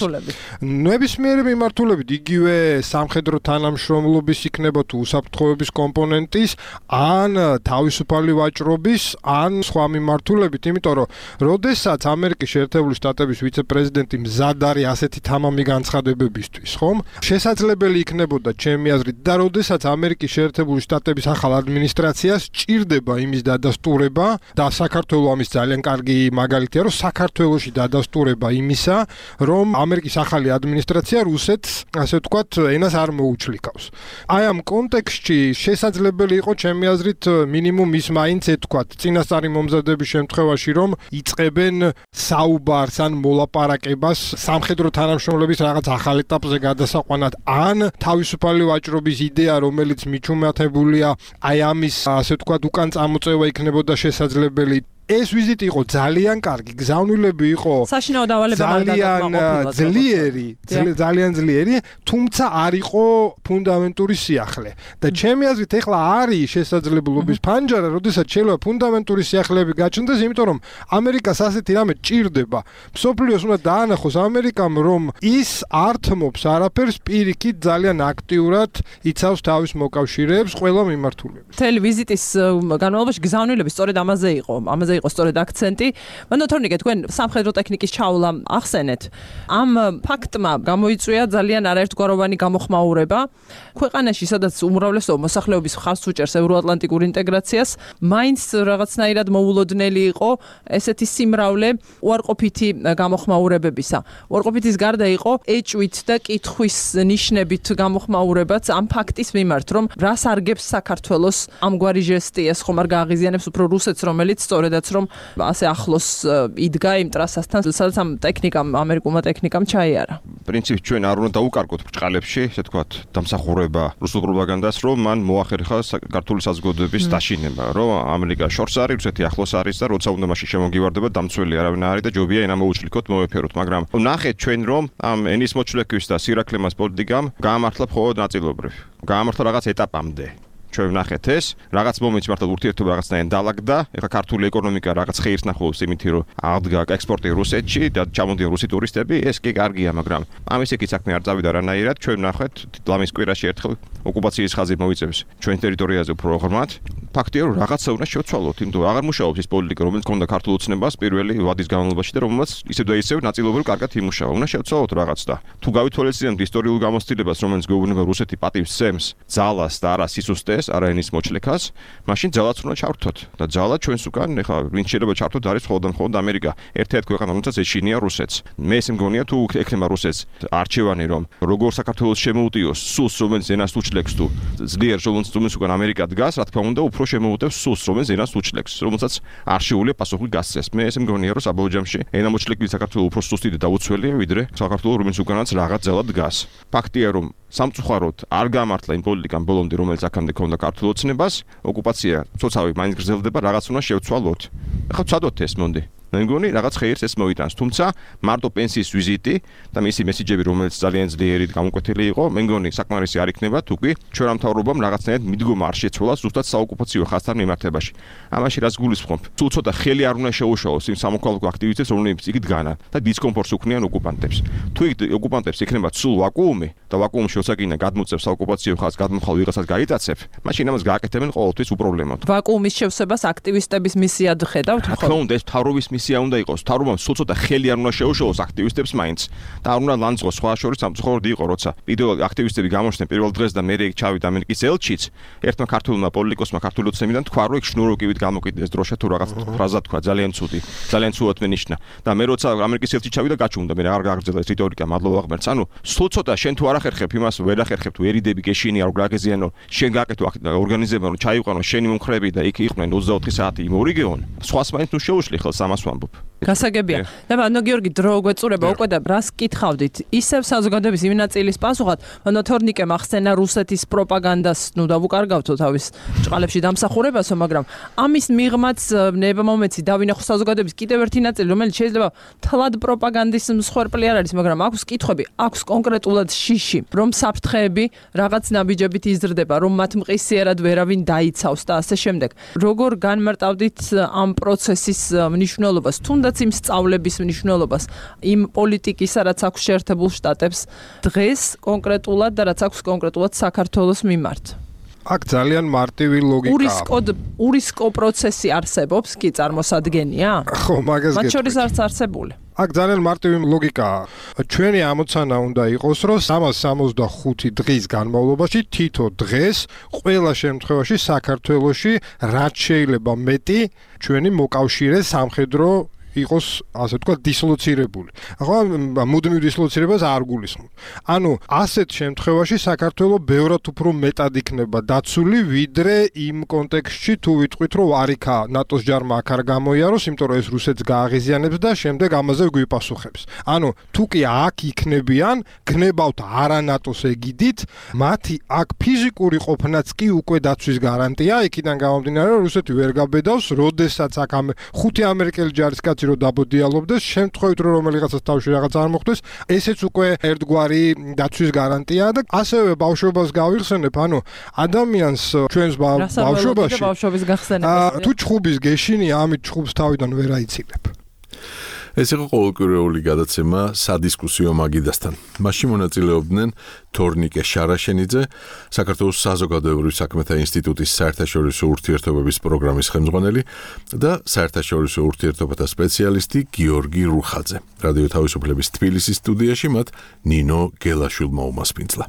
ნებისმიერი მიმართულებით, იგივე სამხედრო თანამშრომლობის იქნება თუ უსაფრთხოების კომპონენტის, ან თავისუფალი ვაჭრობის, ან სხვა მიმართულებით, იმიტომ რომ როდესაც ამერიკის შეერთებული შტატების ვიცე-პრეზიდენტი მზად არის ასეთი თამამი განცხადებებისთვის, ხომ? შესაძლებელი იქნებოდა ჩემი აზრით და როდესაც ამერიკის შეერთებული შტატების ახალ ადმინისტრაციას ჭირდება იმის დადასტურება და საქართველოს ამის ძალიან კარგი მაგალითია, რომ საქართველოში დადასტურება იმისა, რომ ამერიკის ახალი ადმინისტრაცია რუსეთს, ასე ვთქვათ, ენას არ მოუჩლიკავს. აი ამ კონტექსტში შესაძლებელი იყო ჩემი აზრით მინიმუმ ის მაინც ეთქვათ წინასწარი მომზადების შემთხვევაში, რომ იწყებენ საუბარს ან მოლაპარაკებას სამხედრო თანამშრომლების რაღაც ახალ ეტაპზე გადასაყვანად, ან თავისუფალი ვაჭრობის იდეა, რომელიც მიჩუმათებულია, აი ამის ასე ვთქვათ, უკან წამოწევა იქნებოდა შესაძლებელი. ეს ვიზიტი იყო ძალიან კარგი, გზავნილები იყო საშინაო დავალება ძალიან ძლიერი, თუმცა არ იყო ფუნდამენტური სიახლე. და ჩემი აზრით ეხლა არის შესაძლებლობის ფანჯარა, როდესაც შეიძლება ფუნდამენტური სიახლეები გაჩნდეს, იმიტომ რომ ამერიკას ასეთი რამე ჭირდება. მსოფლიოს უნდა დაანახოს ამერიკამ, რომ ის არ თმობს არაფერს, პირიქით ძალიან აქტიურად იცავს თავის მოკავშირეებს ყველა მიმართულებით. მთელი ვიზიტის განმავლობაში გზავნილები სწორედ ამაზე იყო. იყო სწორედ აქცენტი. მანდ თორნიკე თქვენ სამხედრო ტექნიკის ჩავლა ახსენეთ. ამ ფაქტმა გამოიწვია ძალიან არაერთგვაროვანი გამოხმაურება. ქვეყანაში, სადაც უმრავლესობა მოსახლეობის ხარს უჭერს ევროატლანტიკურ ინტეგრაციას, მაინც რაღაცნაირად მოულოდნელი იყო ესეთი სიმრავლე უარყოფითი გამოხმაურებებისა. უარყოფითის გარდა იყო ეჭვით და კითხვის ნიშნებით გამოხმაურებაც ამ ფაქტის მიმართ, რომ რას არგებს საქართველოს ამგვარი ჟესტი, ეს ხომ არ გააღიზიანებს უფრო რუსეთს, რომელიც სწორედაც რომ ასე ახლოს იდგა იმ ტრასასთან, სადაც ამ ტექნიკამ, ამერიკულმა ტექნიკამ ჩაიარა. პრინციპი ჩვენ არ უნდა დაუკარგოთ ბრჭყალებში, ესე ვთქვათ, დამსახურება რუსულ პროპაგანდას, რომ მან მოახერხა საქართველოს საზოგადოების დაშინება, რომ ამერიკა შორს არის, რუსეთი ახლოს არის და როცა უნდა მაშინ შემოგივარდება, დამცველი არავინ არის და ჯობია ენა მოუჩლიქოთ, მოვეფეროთ, მაგრამ ნახეთ ჩვენ რომ ამ ენის მოჩლექვის და სირაკლემას პოლიტიკამ გაამართლა მხოლოდ ნაწილობრივ. გაამართლა რაღაც ეტაპამდე. ჩვენ ვნახეთ ეს, რაღაც მომენტში მართლა ურთიერთობა რაღაცნაირად დაალაგდა. ეხლა ქართული ეკონომიკა რაღაც ხეირს ნახულობს იმითი, რომ აღდგა ექსპორტი რუსეთში და ჩამოდიან რუსი ტურისტები, ეს კი კარგია, მაგრამ ამის იქით საქმე არ წავიდა რანაირად. ჩვენ ვნახეთ, ლამის კვირაში ერთხელ ოკუპაციის ხაზი მოიწევს ჩვენ ტერიტორიაზე უფრო ღრმად. ფაქტია, რომ რაღაცა უნდა შევცვალოთ, იმიტომ რომ აღარ მუშაობს ის პოლიტიკა, რომელიც ქონდა ქართულ ოცნებას პირველი ვადის განმავლობაში და რომელსაც ისევ და ისევ ნაწილობრივ კარგად იმუშავა. უნდა შევცვალოთ რაღაც და თუ გავითვალისწინებთ ისტორიულ გამოცდილებას, რომელიც გვეუბნება რუსეთი პატივს სცემს ძალას და არა სისუსტეს, არა ენის მოჩლექას, მაშინ ძალაც უნდა ჩავრთოთ და ძალა ჩვენს უკან, ეხლა ვინ შეიძლება ჩავრთოთ არის მხოლოდ ამერიკა. ერთ-ერთი ქვეყანა, რომელსაც ეშინია რუსეთს. მე ესე მგონია თუ ექნება რუსეთს არჩევანი, რომ როგორ საქართველოს შემოუტიოს სულს, რომელიც ენას უჩლექს თუ ძლიერ რომელიც უკან ამერიკა დგას, რა თქმა უნდა, უფრო შემოუტევს სულს, რომელიც ენას უჩლექს, რომელსაც არ შეუძლია პასუხი გასცეს. მე ესე მგონია, რომ საბოლოო ენა მოჩლექილი საქართველოს უფრო სუსტი და დაუცველია, ვიდრე საქართველოს, რომელიც უკანაც რაღაც ძალა დგას. ფაქტია, რომ სამწუხაროდ არ გამართლა იმ პოლიტიკამ ბოლომდე, რომელიც აქამდე ქონდა ქართულ ოცნებას, ოკუპაცია ცოცხალ მაინც გრძელდება, რაღაც უნდა შევცვალოთ. ახლა ვცადოთ ეს მონდი. მე მგონი რაღაც ხეირს ეს მოიტანს, თუმცა მარტო პენსიის ვიზიტი და მისი მესიჯები, რომელიც ძალიან ძლიერი გამოკვეთილი იყო, მე მგონი საკმარისი არ იქნება, თუ კი ჩვენ მთავრობამ რაღაცნაირად მიდგომა არ შეცვალა ზუსტად საოკუპაციო ხაზთან მიმართებაში. ამაში რაც გულისხმობ, თუ ცოტა ხელი არ უნდა შეუშალოს იმ სამოქალაქო აქტივისტებს, რომლებიც იქ დგანან და დისკომფორტს უქმნიან ოკუპანტებს. თუ იქ ოკუპანტებს იქნება სულ ვაკუუმი და ვაკუუმში ოსაკინა გადმოწევს საოკუპაციო ხაზს, გადმოხალ ვიღაცას გაიტაცებ, მაშინ ამას გააკეთებენ ყოველთვის უპრობლემოდ. ვაკუუმის შევსებას აქტივისტების მისიად ხედავთ ხო? თქო უნდა ეს მთავრობის მისია უნდა იყოს. მთავრობამ სულ ცოტა ხელი არ უნდა შეუშალოს აქტივისტებს მაინც და არ უნდა ლანძღოს სხვა შორის სამწუხაროდ იყო, როცა პირველ აქტივისტები გამოჩნდნენ პირველ დღეს და მე ჩავიდა ამერიკის ელჩიც, ერთმა ქართულმა პოლიტიკოსმა ქართული ოცნებიდან თქვა, რომ იქ შნუროკივით გამოკიდეს დროშა თუ რაღაც ფრაზა თქვა, ძალიან ცუდი, ძალიან ცუდად მენიშნა. და მე როცა ამერიკის ელჩი ჩავიდა, გაჩუმდა, მე არ გაგრძელა ეს რიტორიკა, მადლობა ღმერთს. ანუ სულ ცოტა შენ თუ არ ახერხებ იმას, ვერ ახერხებ თუ ერიდები გეშინი არ გაგეზიანო, შენ გააკეთო ორგანიზება, რომ ჩაიყვანო შენი მომხრეები და იქ იყვნენ 24 საათი იმ ორიგეონ. სხვას მაინც თუ შეუშლი ხელს ამას ვამბობ. გასაგებია. და ბანო გიორგი დრო გვეწურება უკვე და რას კითხავდით? ისევ საზოგადოების იმ ნაწილის პასუხად, ბანო თორნიკემ ახსენა რუსეთის პროპაგანდას, ნუ დავუკარგავთო თავის ჭყალებში დამსახურებასო, მაგრამ ამის მიღმაც ნება მომეცი დავინახო საზოგადოების კიდევ ერთი ნაწილი, რომელიც შეიძლება თლად პროპაგანდის მსხვერპლი არ არის, მაგრამ აქვს კითხვები, აქვს კონკრეტულად შიში, რომ საფრთხეები რაღაც ნაბიჯებით იზრდება, რომ მათ მყისიერად ვერავინ დაიცავს და ასე შემდეგ. როგორ განმარტავდით ამ პროცესის მნიშვნელობას, თუნდაც იმ სწავლების მნიშვნელობას, იმ პოლიტიკისა, რაც აქვს შეერთებულ შტატებს დღეს კონკრეტულად და რაც აქვს კონკრეტულად საქართველოს მიმართ. აქ ძალიან მარტივი ლოგიკაა. ურისკო პროცესი არსებობს, კი წარმოსადგენია? ხო, მაგას გეტყვით. მათ შორის არც არსებული. აქ ძალიან მარტივი ლოგიკაა. ჩვენი ამოცანა უნდა იყოს, რომ 365 დღის განმავლობაში თითო დღეს ყველა შემთხვევაში საქართველოში რაც შეიძლება მეტი ჩვენი მოკავშირე სამხედრო იყოს, ასე ვთქვათ, დისლოცირებული. ახლა მუდმივ დისლოცირებას არ გულისხმობ. ანუ ასეთ შემთხვევაში საქართველოს ბევრად უფრო მეტად იქნება დაცული, ვიდრე იმ კონტექსტში თუ ვიტყვით, რომ არიქა ნატოს ჯარმა აქ არ გამოიაროს, იმიტომ რომ ეს რუსეთს გააღიზიანებს და შემდეგ ამაზე გვიპასუხებს. ანუ თუ კი აქ იქნებიან, გნებავთ არა ნატოს ეგიდით, მათი აქ ფიზიკური ყოფნაც კი უკვე დაცვის გარანტია, იქიდან გამომდინარე, რომ რუსეთი ვერ გაბედავს, როდესაც აქ 5 ამერიკელი ჯარისკაცი რო დაბოდიალობდეს, შემთხვევით რომ რომელიღაცას თავში რაღაც არ მოხდეს, ესეც უკვე ერთგვარი დაცვის გარანტიაა და ასევე ბავშვობას გავიხსენებ, ანუ ადამიანს ჩვენს ბავშვობაში თუ ჩხუბის გეშინია, ამით ჩხუბს თავიდან ვერ აიცილებ. ეს იყო ყოველკვირეული გადაცემა სადისკუსიო მაგიდასთან. მასში მონაწილეობდნენ თორნიკე შარაშენიძე, საქართველოს საზოგადოებრივი საქმეთა ინსტიტუტის საერთაშორისო ურთიერთობების პროგრამის ხელმძღვანელი და საერთაშორისო ურთიერთობათა სპეციალისტი გიორგი რუხაძე. რადიო თავისუფლების თბილისის სტუდიაში მათ ნინო გელაშვილმა უმასპინძლა.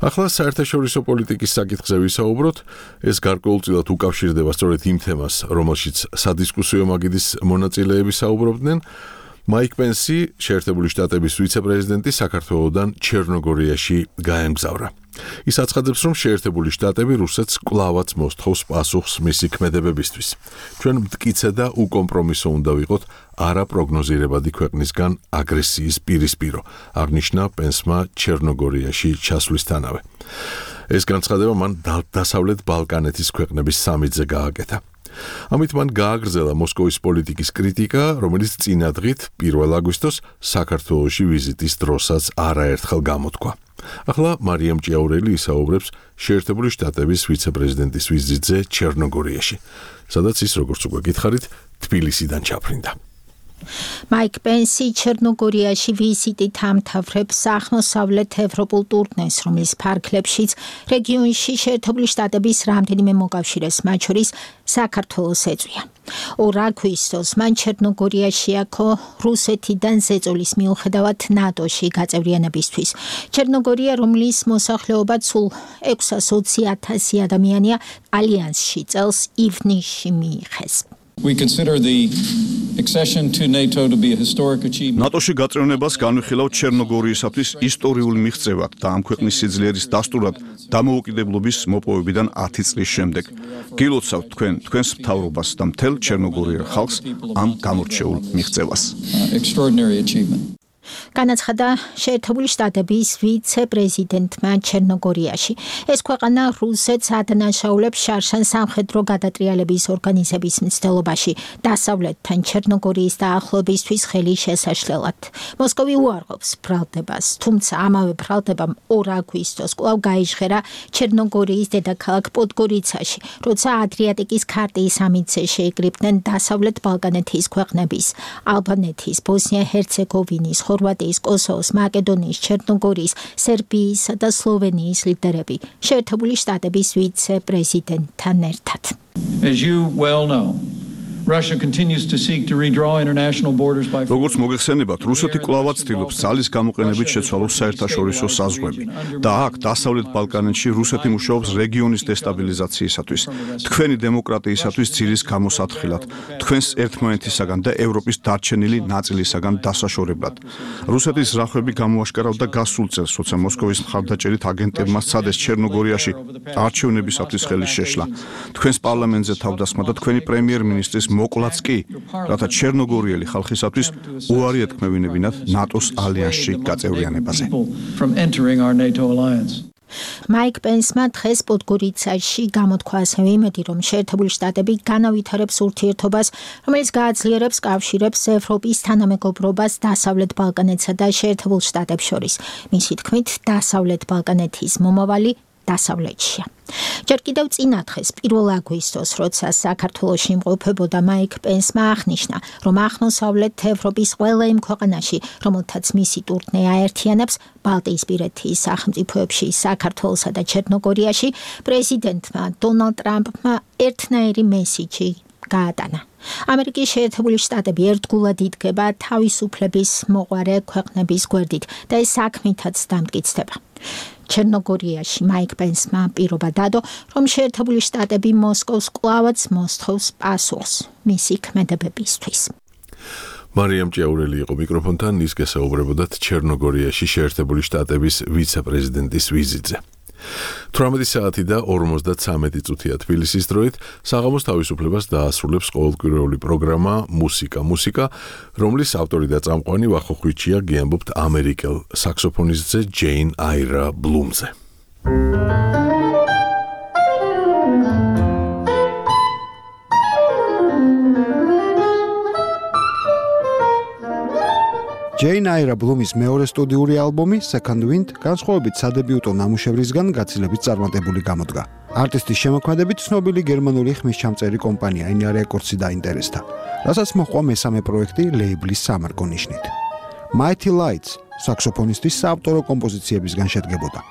ახლა საერთაშორისო პოლიტიკის საკითხზე ვისაუბროთ. ეს გარკვეულწილად უკავშირდება სწორედ იმ თემას, რომელშიც სადისკუსიო მაგიდის მონაწილეები საუბრობდნენ. მაიკ პენსი, შეერთებული შტატების ვიცე-პრეზიდენტი, საქართველოსდან ჩერნოგორიაში გაემგზავრა. ის აცხადებს, რომ შეერთებული შტატები რუსეთს კვლავაც მოსთხოვს პასუხს მისი ქმედებებისთვის. ჩვენ მტკიცე და უკომპრომისო უნდა ვიყოთ არაპროგნოზირებადი ქვეყნისგან აგრესიის პირისპირო, აღნიშნა პენსმა ჩერნოგორიაში ჩასვლისთანავე. ეს განცხადება მან დასავლეთ ბალკანეთის ქვეყნების სამიტზე გააკეთა. ამით მან გააგრძელა მოსკოვის პოლიტიკის კრიტიკა, რომელიც წინა დღით 1 აგვისტოს საქართველოში ვიზიტის დროსაც არაერთხელ გამოთქვა. ახლა მარიამ ჭიაურელი ისაუბრებს შეერთებული შტატების ვიცე-პრეზიდენტის ვიზიტზე ჩერნოგორიაში, სადაც ის, როგორც უკვე გითხარით, თბილისიდან ჩაფრინდა. მაიკ პენსი ჩერნოგორიაში ვიზიტით ამთავრებს აღმოსავლეთ ევროპულ ტურნეს, რომლის ფარგლებშიც რეგიონში შეერთებული შტატების რამდენიმე მოკავშირეს, მათ შორის საქართველოს ეწვია. 2 აგვისტოს მან ჩერნოგორიაში აქო რუსეთიდან ზეწოლის მიუხედავად ნატოში გაწევრიანებისთვის. ჩერნოგორია, რომლის მოსახლეობაც სულ 620,000 ადამიანია, ალიანსში წელს ივნისში მიიღეს. We consider the accession to NATO to be a historic achievement. ნატოში გაწევრიანებას განვიხილავთ ჩერნოგორიისათვის ისტორიული მიღწევად და ამ ქვეყნის სიძლიერის დასტურად დამოუკიდებლობის მოპოვებიდან 10 წლის შემდეგ. გილოცავთ თქვენს მთავრობას და მთელ ჩერნოგორიელ ხალხს ამ გამორჩეულ მიღწევას. Extraordinary achievement. განაცხადა შეერთებული შტატების ვიცე-პრეზიდენტმა ჩერნოგორიაში. ეს ქვეყანა რუსეთს ადანაშაულებს შარშან სამხედრო გადატრიალების ორგანიზების მცდელობაში დასავლეთთან ჩერნოგორიის დაახლოებისთვის ხელი შესაშლელად. მოსკოვი უარყოფს ბრალდებას, თუმცა ამავე ბრალდებამ 2 აგვისტოს კვლავ გაიჟღერა ჩერნოგორიის დედაქალაქ პოდგორიცაში, როცა ადრიატიკის ქარტიის სამიტზე შეიკრიბნენ დასავლეთ ბალკანეთის ქვეყნების, ალბანეთის, ბოსნია-ჰერცეგოვინის, ხორვატიის, კოსოვოს, მაკედონიის, ჩერნოგორიის, სერბიისა და სლოვენიის ლიდერები შეერთებული შტატების ვიცე-პრეზიდენტთან ერთად. As you well know, Russia continues to seek to redraw international borders by როგორც მოგეხსენებათ, რუსეთი კვლავაც ცდილობს ძალის გამოყენებით შეცვალოს საერთაშორისო საზღვრები და აქ დასავლეთ ბალკანეთში რუსეთი მუშაობს რეგიონის დესტაბილიზაციისათვის, თქვენი დემოკრატიისათვის ძირის გამოსათხილად, თქვენს ერთმანეთისაგან და ევროპის დარჩენილი ნაწილისაგან დასაშორებლად. რუსეთის ზრახვები გამოაშკარავდა გასულ წელს, როცა მოსკოვის მხარდაჭერით აგენტებმა სცადეს ჩერნოგორიაში არჩევნებისათვის ხელი შეშლა. თქვენს პარლამენტზე თავდასხმა და თქვენი პრემიერ-მინისტრის მოკლაც კი, რათა ჩერნოგორიელი ხალხისათვის უარი ეთქმევინებინათ ნატოს ალიანსში გაწევრიანებაზე. მაიკ პენსმა დღეს პოდგორიცაში გამოთქვა ასევე იმედი, რომ შეერთებული შტატები განავითარებს ურთიერთობას, რომელიც გააძლიერებს კავშირებს ევროპის თანამეგობრობას დასავლეთ ბალკანეთსა და შეერთებულ შტატებს შორის. მისი თქმით, დასავლეთ ბალკანეთის მომავალი დასავლეთშია. ჯერ კიდევ წინა დღეს 1 აგვისტოს, როცა საქართველოში იმყოფებოდა, მაიკ პენსმა აღნიშნა, რომ აღმოსავლეთ ევროპის ყველა იმ ქვეყანაში, რომელთაც მისი ტურნე აერთიანებს, ბალტიისპირეთის სახელმწიფოებში, საქართველოსა და ჩერნოგორიაში, პრეზიდენტმა დონალდ ტრამპმა ერთნაირი მესიჯი გაატანა. ამერიკის შეერთებული შტატები ერთგულად იდგება თავისუფლების მოყვარე ქვეყნების გვერდით და ეს საქმითაც დამტკიცდება. ჩერნოგორიაში მაიკ პენსმა პირობა დადო, რომ შეერთებული შტატები მოსკოვს კვლავაც მოსთხოვს პასუხს მისი ქმედებებისთვის. მარიამ ჭიაურელი იყო მიკროფონთან, ის გესაუბრებოდათ ჩერნოგორიაში შეერთებული შტატების ვიცე-პრეზიდენტის ვიზიტზე. 18 საათი და 53 წუთია თბილისის დროით საღამოს თავისუფლებას დაასრულებს ყოველკვირეული პროგრამა მუსიკა, რომლის ავტორი და წამყვანი ვახოხვიჩია გიამბობთ ამერიკელ საქსოფონისტზე ჯეინ აირა ბლუმზე. ჯეინ აირა ბლუმის მეორე სტუდიური ალბომი Second Wind განსხვავებით სადებიუტო ნამუშევრისგან გაცილებით წარმატებული გამოდგა. არტისტის შემოქმედებით ცნობილი გერმანული ხმისჩამწერი კომპანია Enya Records დაინტერესდა, რასაც მოჰყვა მესამე პროექტი ლეიბლის სამარკო ნიშნით. Mighty Lights საქსოფონისტის საავტორო კომპოზიციებისგან შედგებოდა.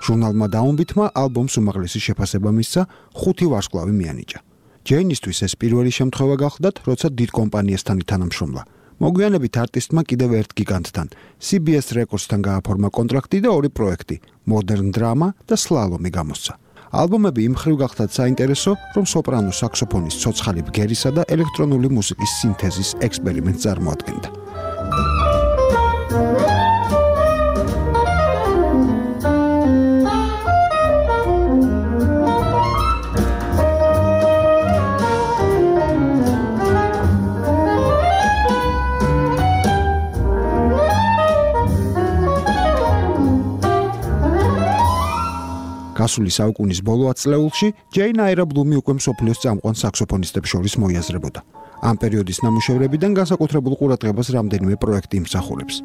ჟურნალმა Downbeat-მა ალბომს უმაღლესი შეფასება მისცა, 5 ვარსკვლავი მიანიჭა. ჯეინისთვის ეს პირველი შემთხვევა გახლდათ, როცა დიდ კომპანიასთან ითანამშრომლა. მოგვიანებით არტისტმა კიდევ ერთ გიგანტთან, CBS Records-თან გააფორმა კონტრაქტი და 2 პროექტი, Modern Drama და Slalom-ი გამოსცა. ალბომები იმ მხრივ გახდათ საინტერესო, რომ სოპრანო საქსოფონის ცოცხალი ბგერისა და ელექტრონული მუსიკის სინთეზის ექსპერიმენტს წარმოადგენდა. გასული საუკუნის ბოლო ათწლეულში ჯეინ აირა ბლუმი უკვე მსოფლიოს წამყვან საქსოფონისტებს შორის მოიაზრებოდა. ამ პერიოდის ნამუშევრებიდან განსაკუთრებულ ყურადღებას რამდენიმე პროექტი იმსახურებს.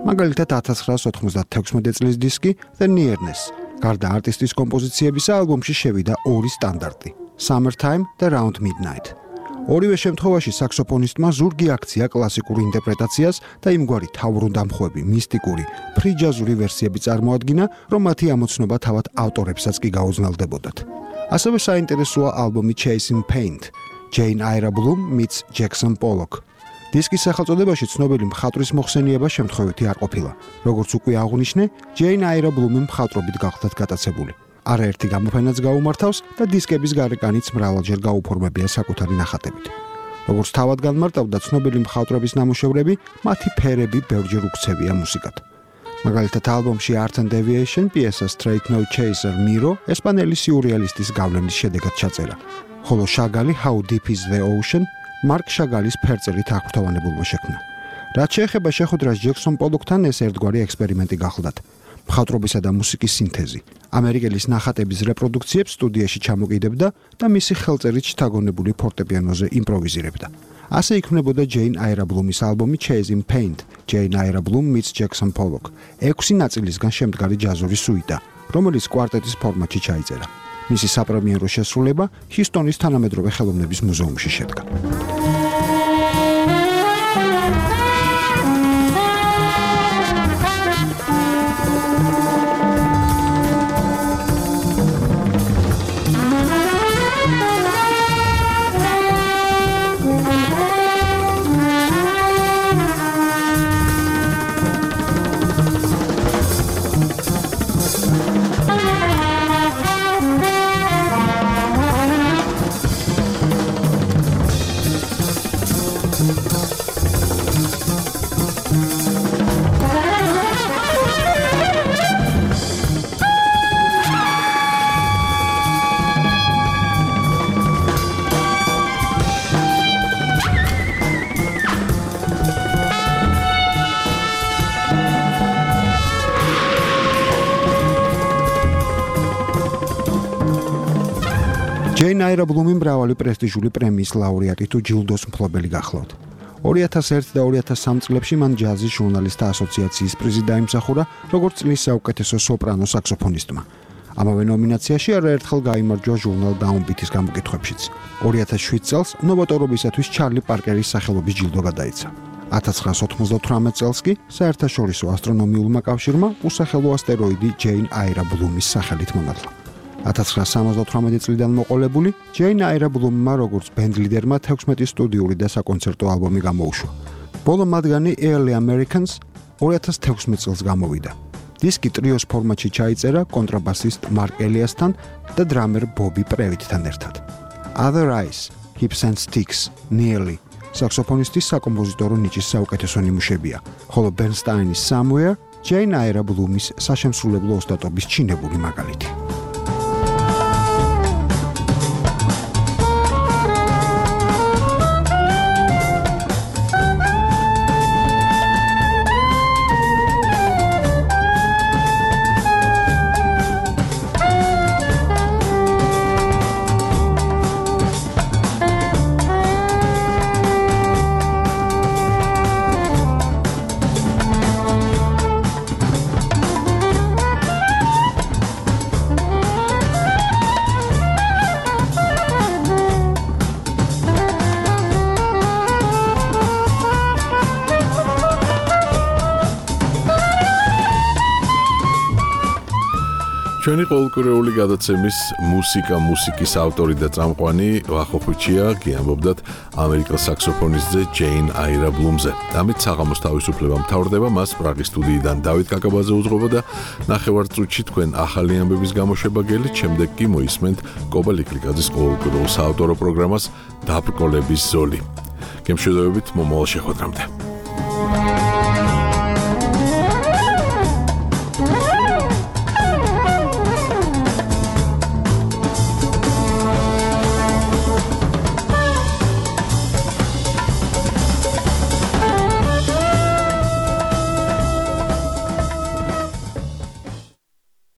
მაგალითად 1996 წლის დისკი The Nearness. გარდა არტისტის კომპოზიციებისა ალბომში შევიდა 2 სტანდარტი, Summertime და Round Midnight. ორივე შემთხვევაში საქსოფონისტმა ზურგი აქცია კლასიკურ ინტერპრეტაციას და იმგვარი თავბრუნდამხვევი, მისტიკური, ფრიჯაზური ვერსიები წარმოადგინა, რომ მათი ამოცნობა თავად ავტორებსაც კი გაუძნელდებოდათ. ასევე საინტერესოა ალბომი Chasing Paint, Jane Aira Bloom meets Jackson Pollock. დისკის სახელწოდებაში ცნობილი მხატვრის მოხსენიება შემთხვევითი არ ყოფილა. როგორც უკვე აღვნიშნე, Jane Aira Bloom-ი მხატვრობით გახდათ გატაცებული. არაერთი გამოფენაც გაუმართავს და დისკების გარეკანიც მრავალჯერ გაუფორმებია საკუთარი ნახატებით. როგორც თავად განმარტავდა ცნობილი მხატვრების ნამუშევრები, მათი ფერები ბევრჯერ უქცევია მუსიკად. მაგალითად ალბომში Art and Deviation პიესა Straight No Chaser Miro ესპანელი სიურეალისტის გავლენის შედეგად ჩაწერა, ხოლო შაგალი How Deep Is the Ocean მარკ შაგალის ფერწერით აღფრთოვანებულმა შექმნა. რაც შეეხება შეხვედრას ჯექსონ პოლოკთან, ეს ერთგვარი ექსპერიმენტი გახლდათ. მხატვრობისა და მუსიკის სინთეზი. ამერიკელის ნახატების რეპროდუქციებს სტუდიაში ჩამოკიდებდა და მისი ხელწერით შთაგონებული ფორტეპიანოზე იმპროვიზირებდა. ასე იქმნებოდა ჯეინ აირა ბლუმის ალბომი Chasing Paint, Jane Aira Bloom meets Jackson Pollock. 6 ნაწილისგან შემდგარი ჯაზური სუიტა, რომელიც კვარტეტის ფორმატში ჩაიწერა. მისი საპრემიერო შესრულება ჰიუსტონის თანამედროვე ხელოვნების მუზეუმში შედგა. ჯეინ აირა ბლუმი მრავალი პრესტიჟული პრემიის ლაურეატი თუ ჯილდოს მფლობელი გახლავთ. 2001 და 2003 წლებში მან ჯაზის ჟურნალისტთა ასოციაციის პრიზი დაიმსახურა, როგორც წლის საუკეთესო სოპრანო საქსოფონისტმა. ამავე ნომინაციაში არაერთხელ გაიმარჯვა ჟურნალ Downbeat-ის გამოკითხვებშიც. 2007 წელს ნოვატორობისათვის ჩარლი პარკერის სახელობის ჯილდო გადაეცა. 1998 წელს კი საერთაშორისო ასტრონომიულმა კავშირმა უსახელო ასტეროიდი ჯეინ აირა ბლუმის სახელით მონათლა. 1978 წლიდან მოყოლებული ჯეინ აირა ბლუმმა როგორც ბენდ ლიდერმა 16 სტუდიური და საკონცერტო ალბომი გამოუშვა. ბოლო მათგანი Early Americans 2016 წელს გამოვიდა. დისკი ტრიოს ფორმატში ჩაიწერა კონტრაბასისტ მარკ ელიასთან და დრამერ ბობი პრევიტთან ერთად. Other Eyes, Hips and Sticks, Nearly, საქსოფონისტის საკომპოზიტორო ნიჭის საუკეთესო ნიმუშებია, ხოლო ბერნსტაინის Somewhere ჯეინ აირა ბლუმის საშემსრულებლო ოსტატობის ჩინებული მაგალითი. ჩვენი ყოველკვირეული გადაცემის მუსიკის ავტორი და წამყვანი ვახოხუჩია გიამბობდათ ამერიკელ საქსოფონისტზე ჯეინ აირა ბლუმზე. ამით საღამოს თავისუფლება მთავრდება, მას პრაღის სტუდიიდან დავით კაკაბაძე უძღვება და ნახევარწუთში თქვენ ახალი ამბების გამოშვება გელით, შემდეგ კი მოისმენთ კობა ლიკლიკაძის ყოველკვირეულ საავტორო პროგრამას დაბრკოლების ზოლი. გემშვიდობებით მომავალ შეხვედრამდე.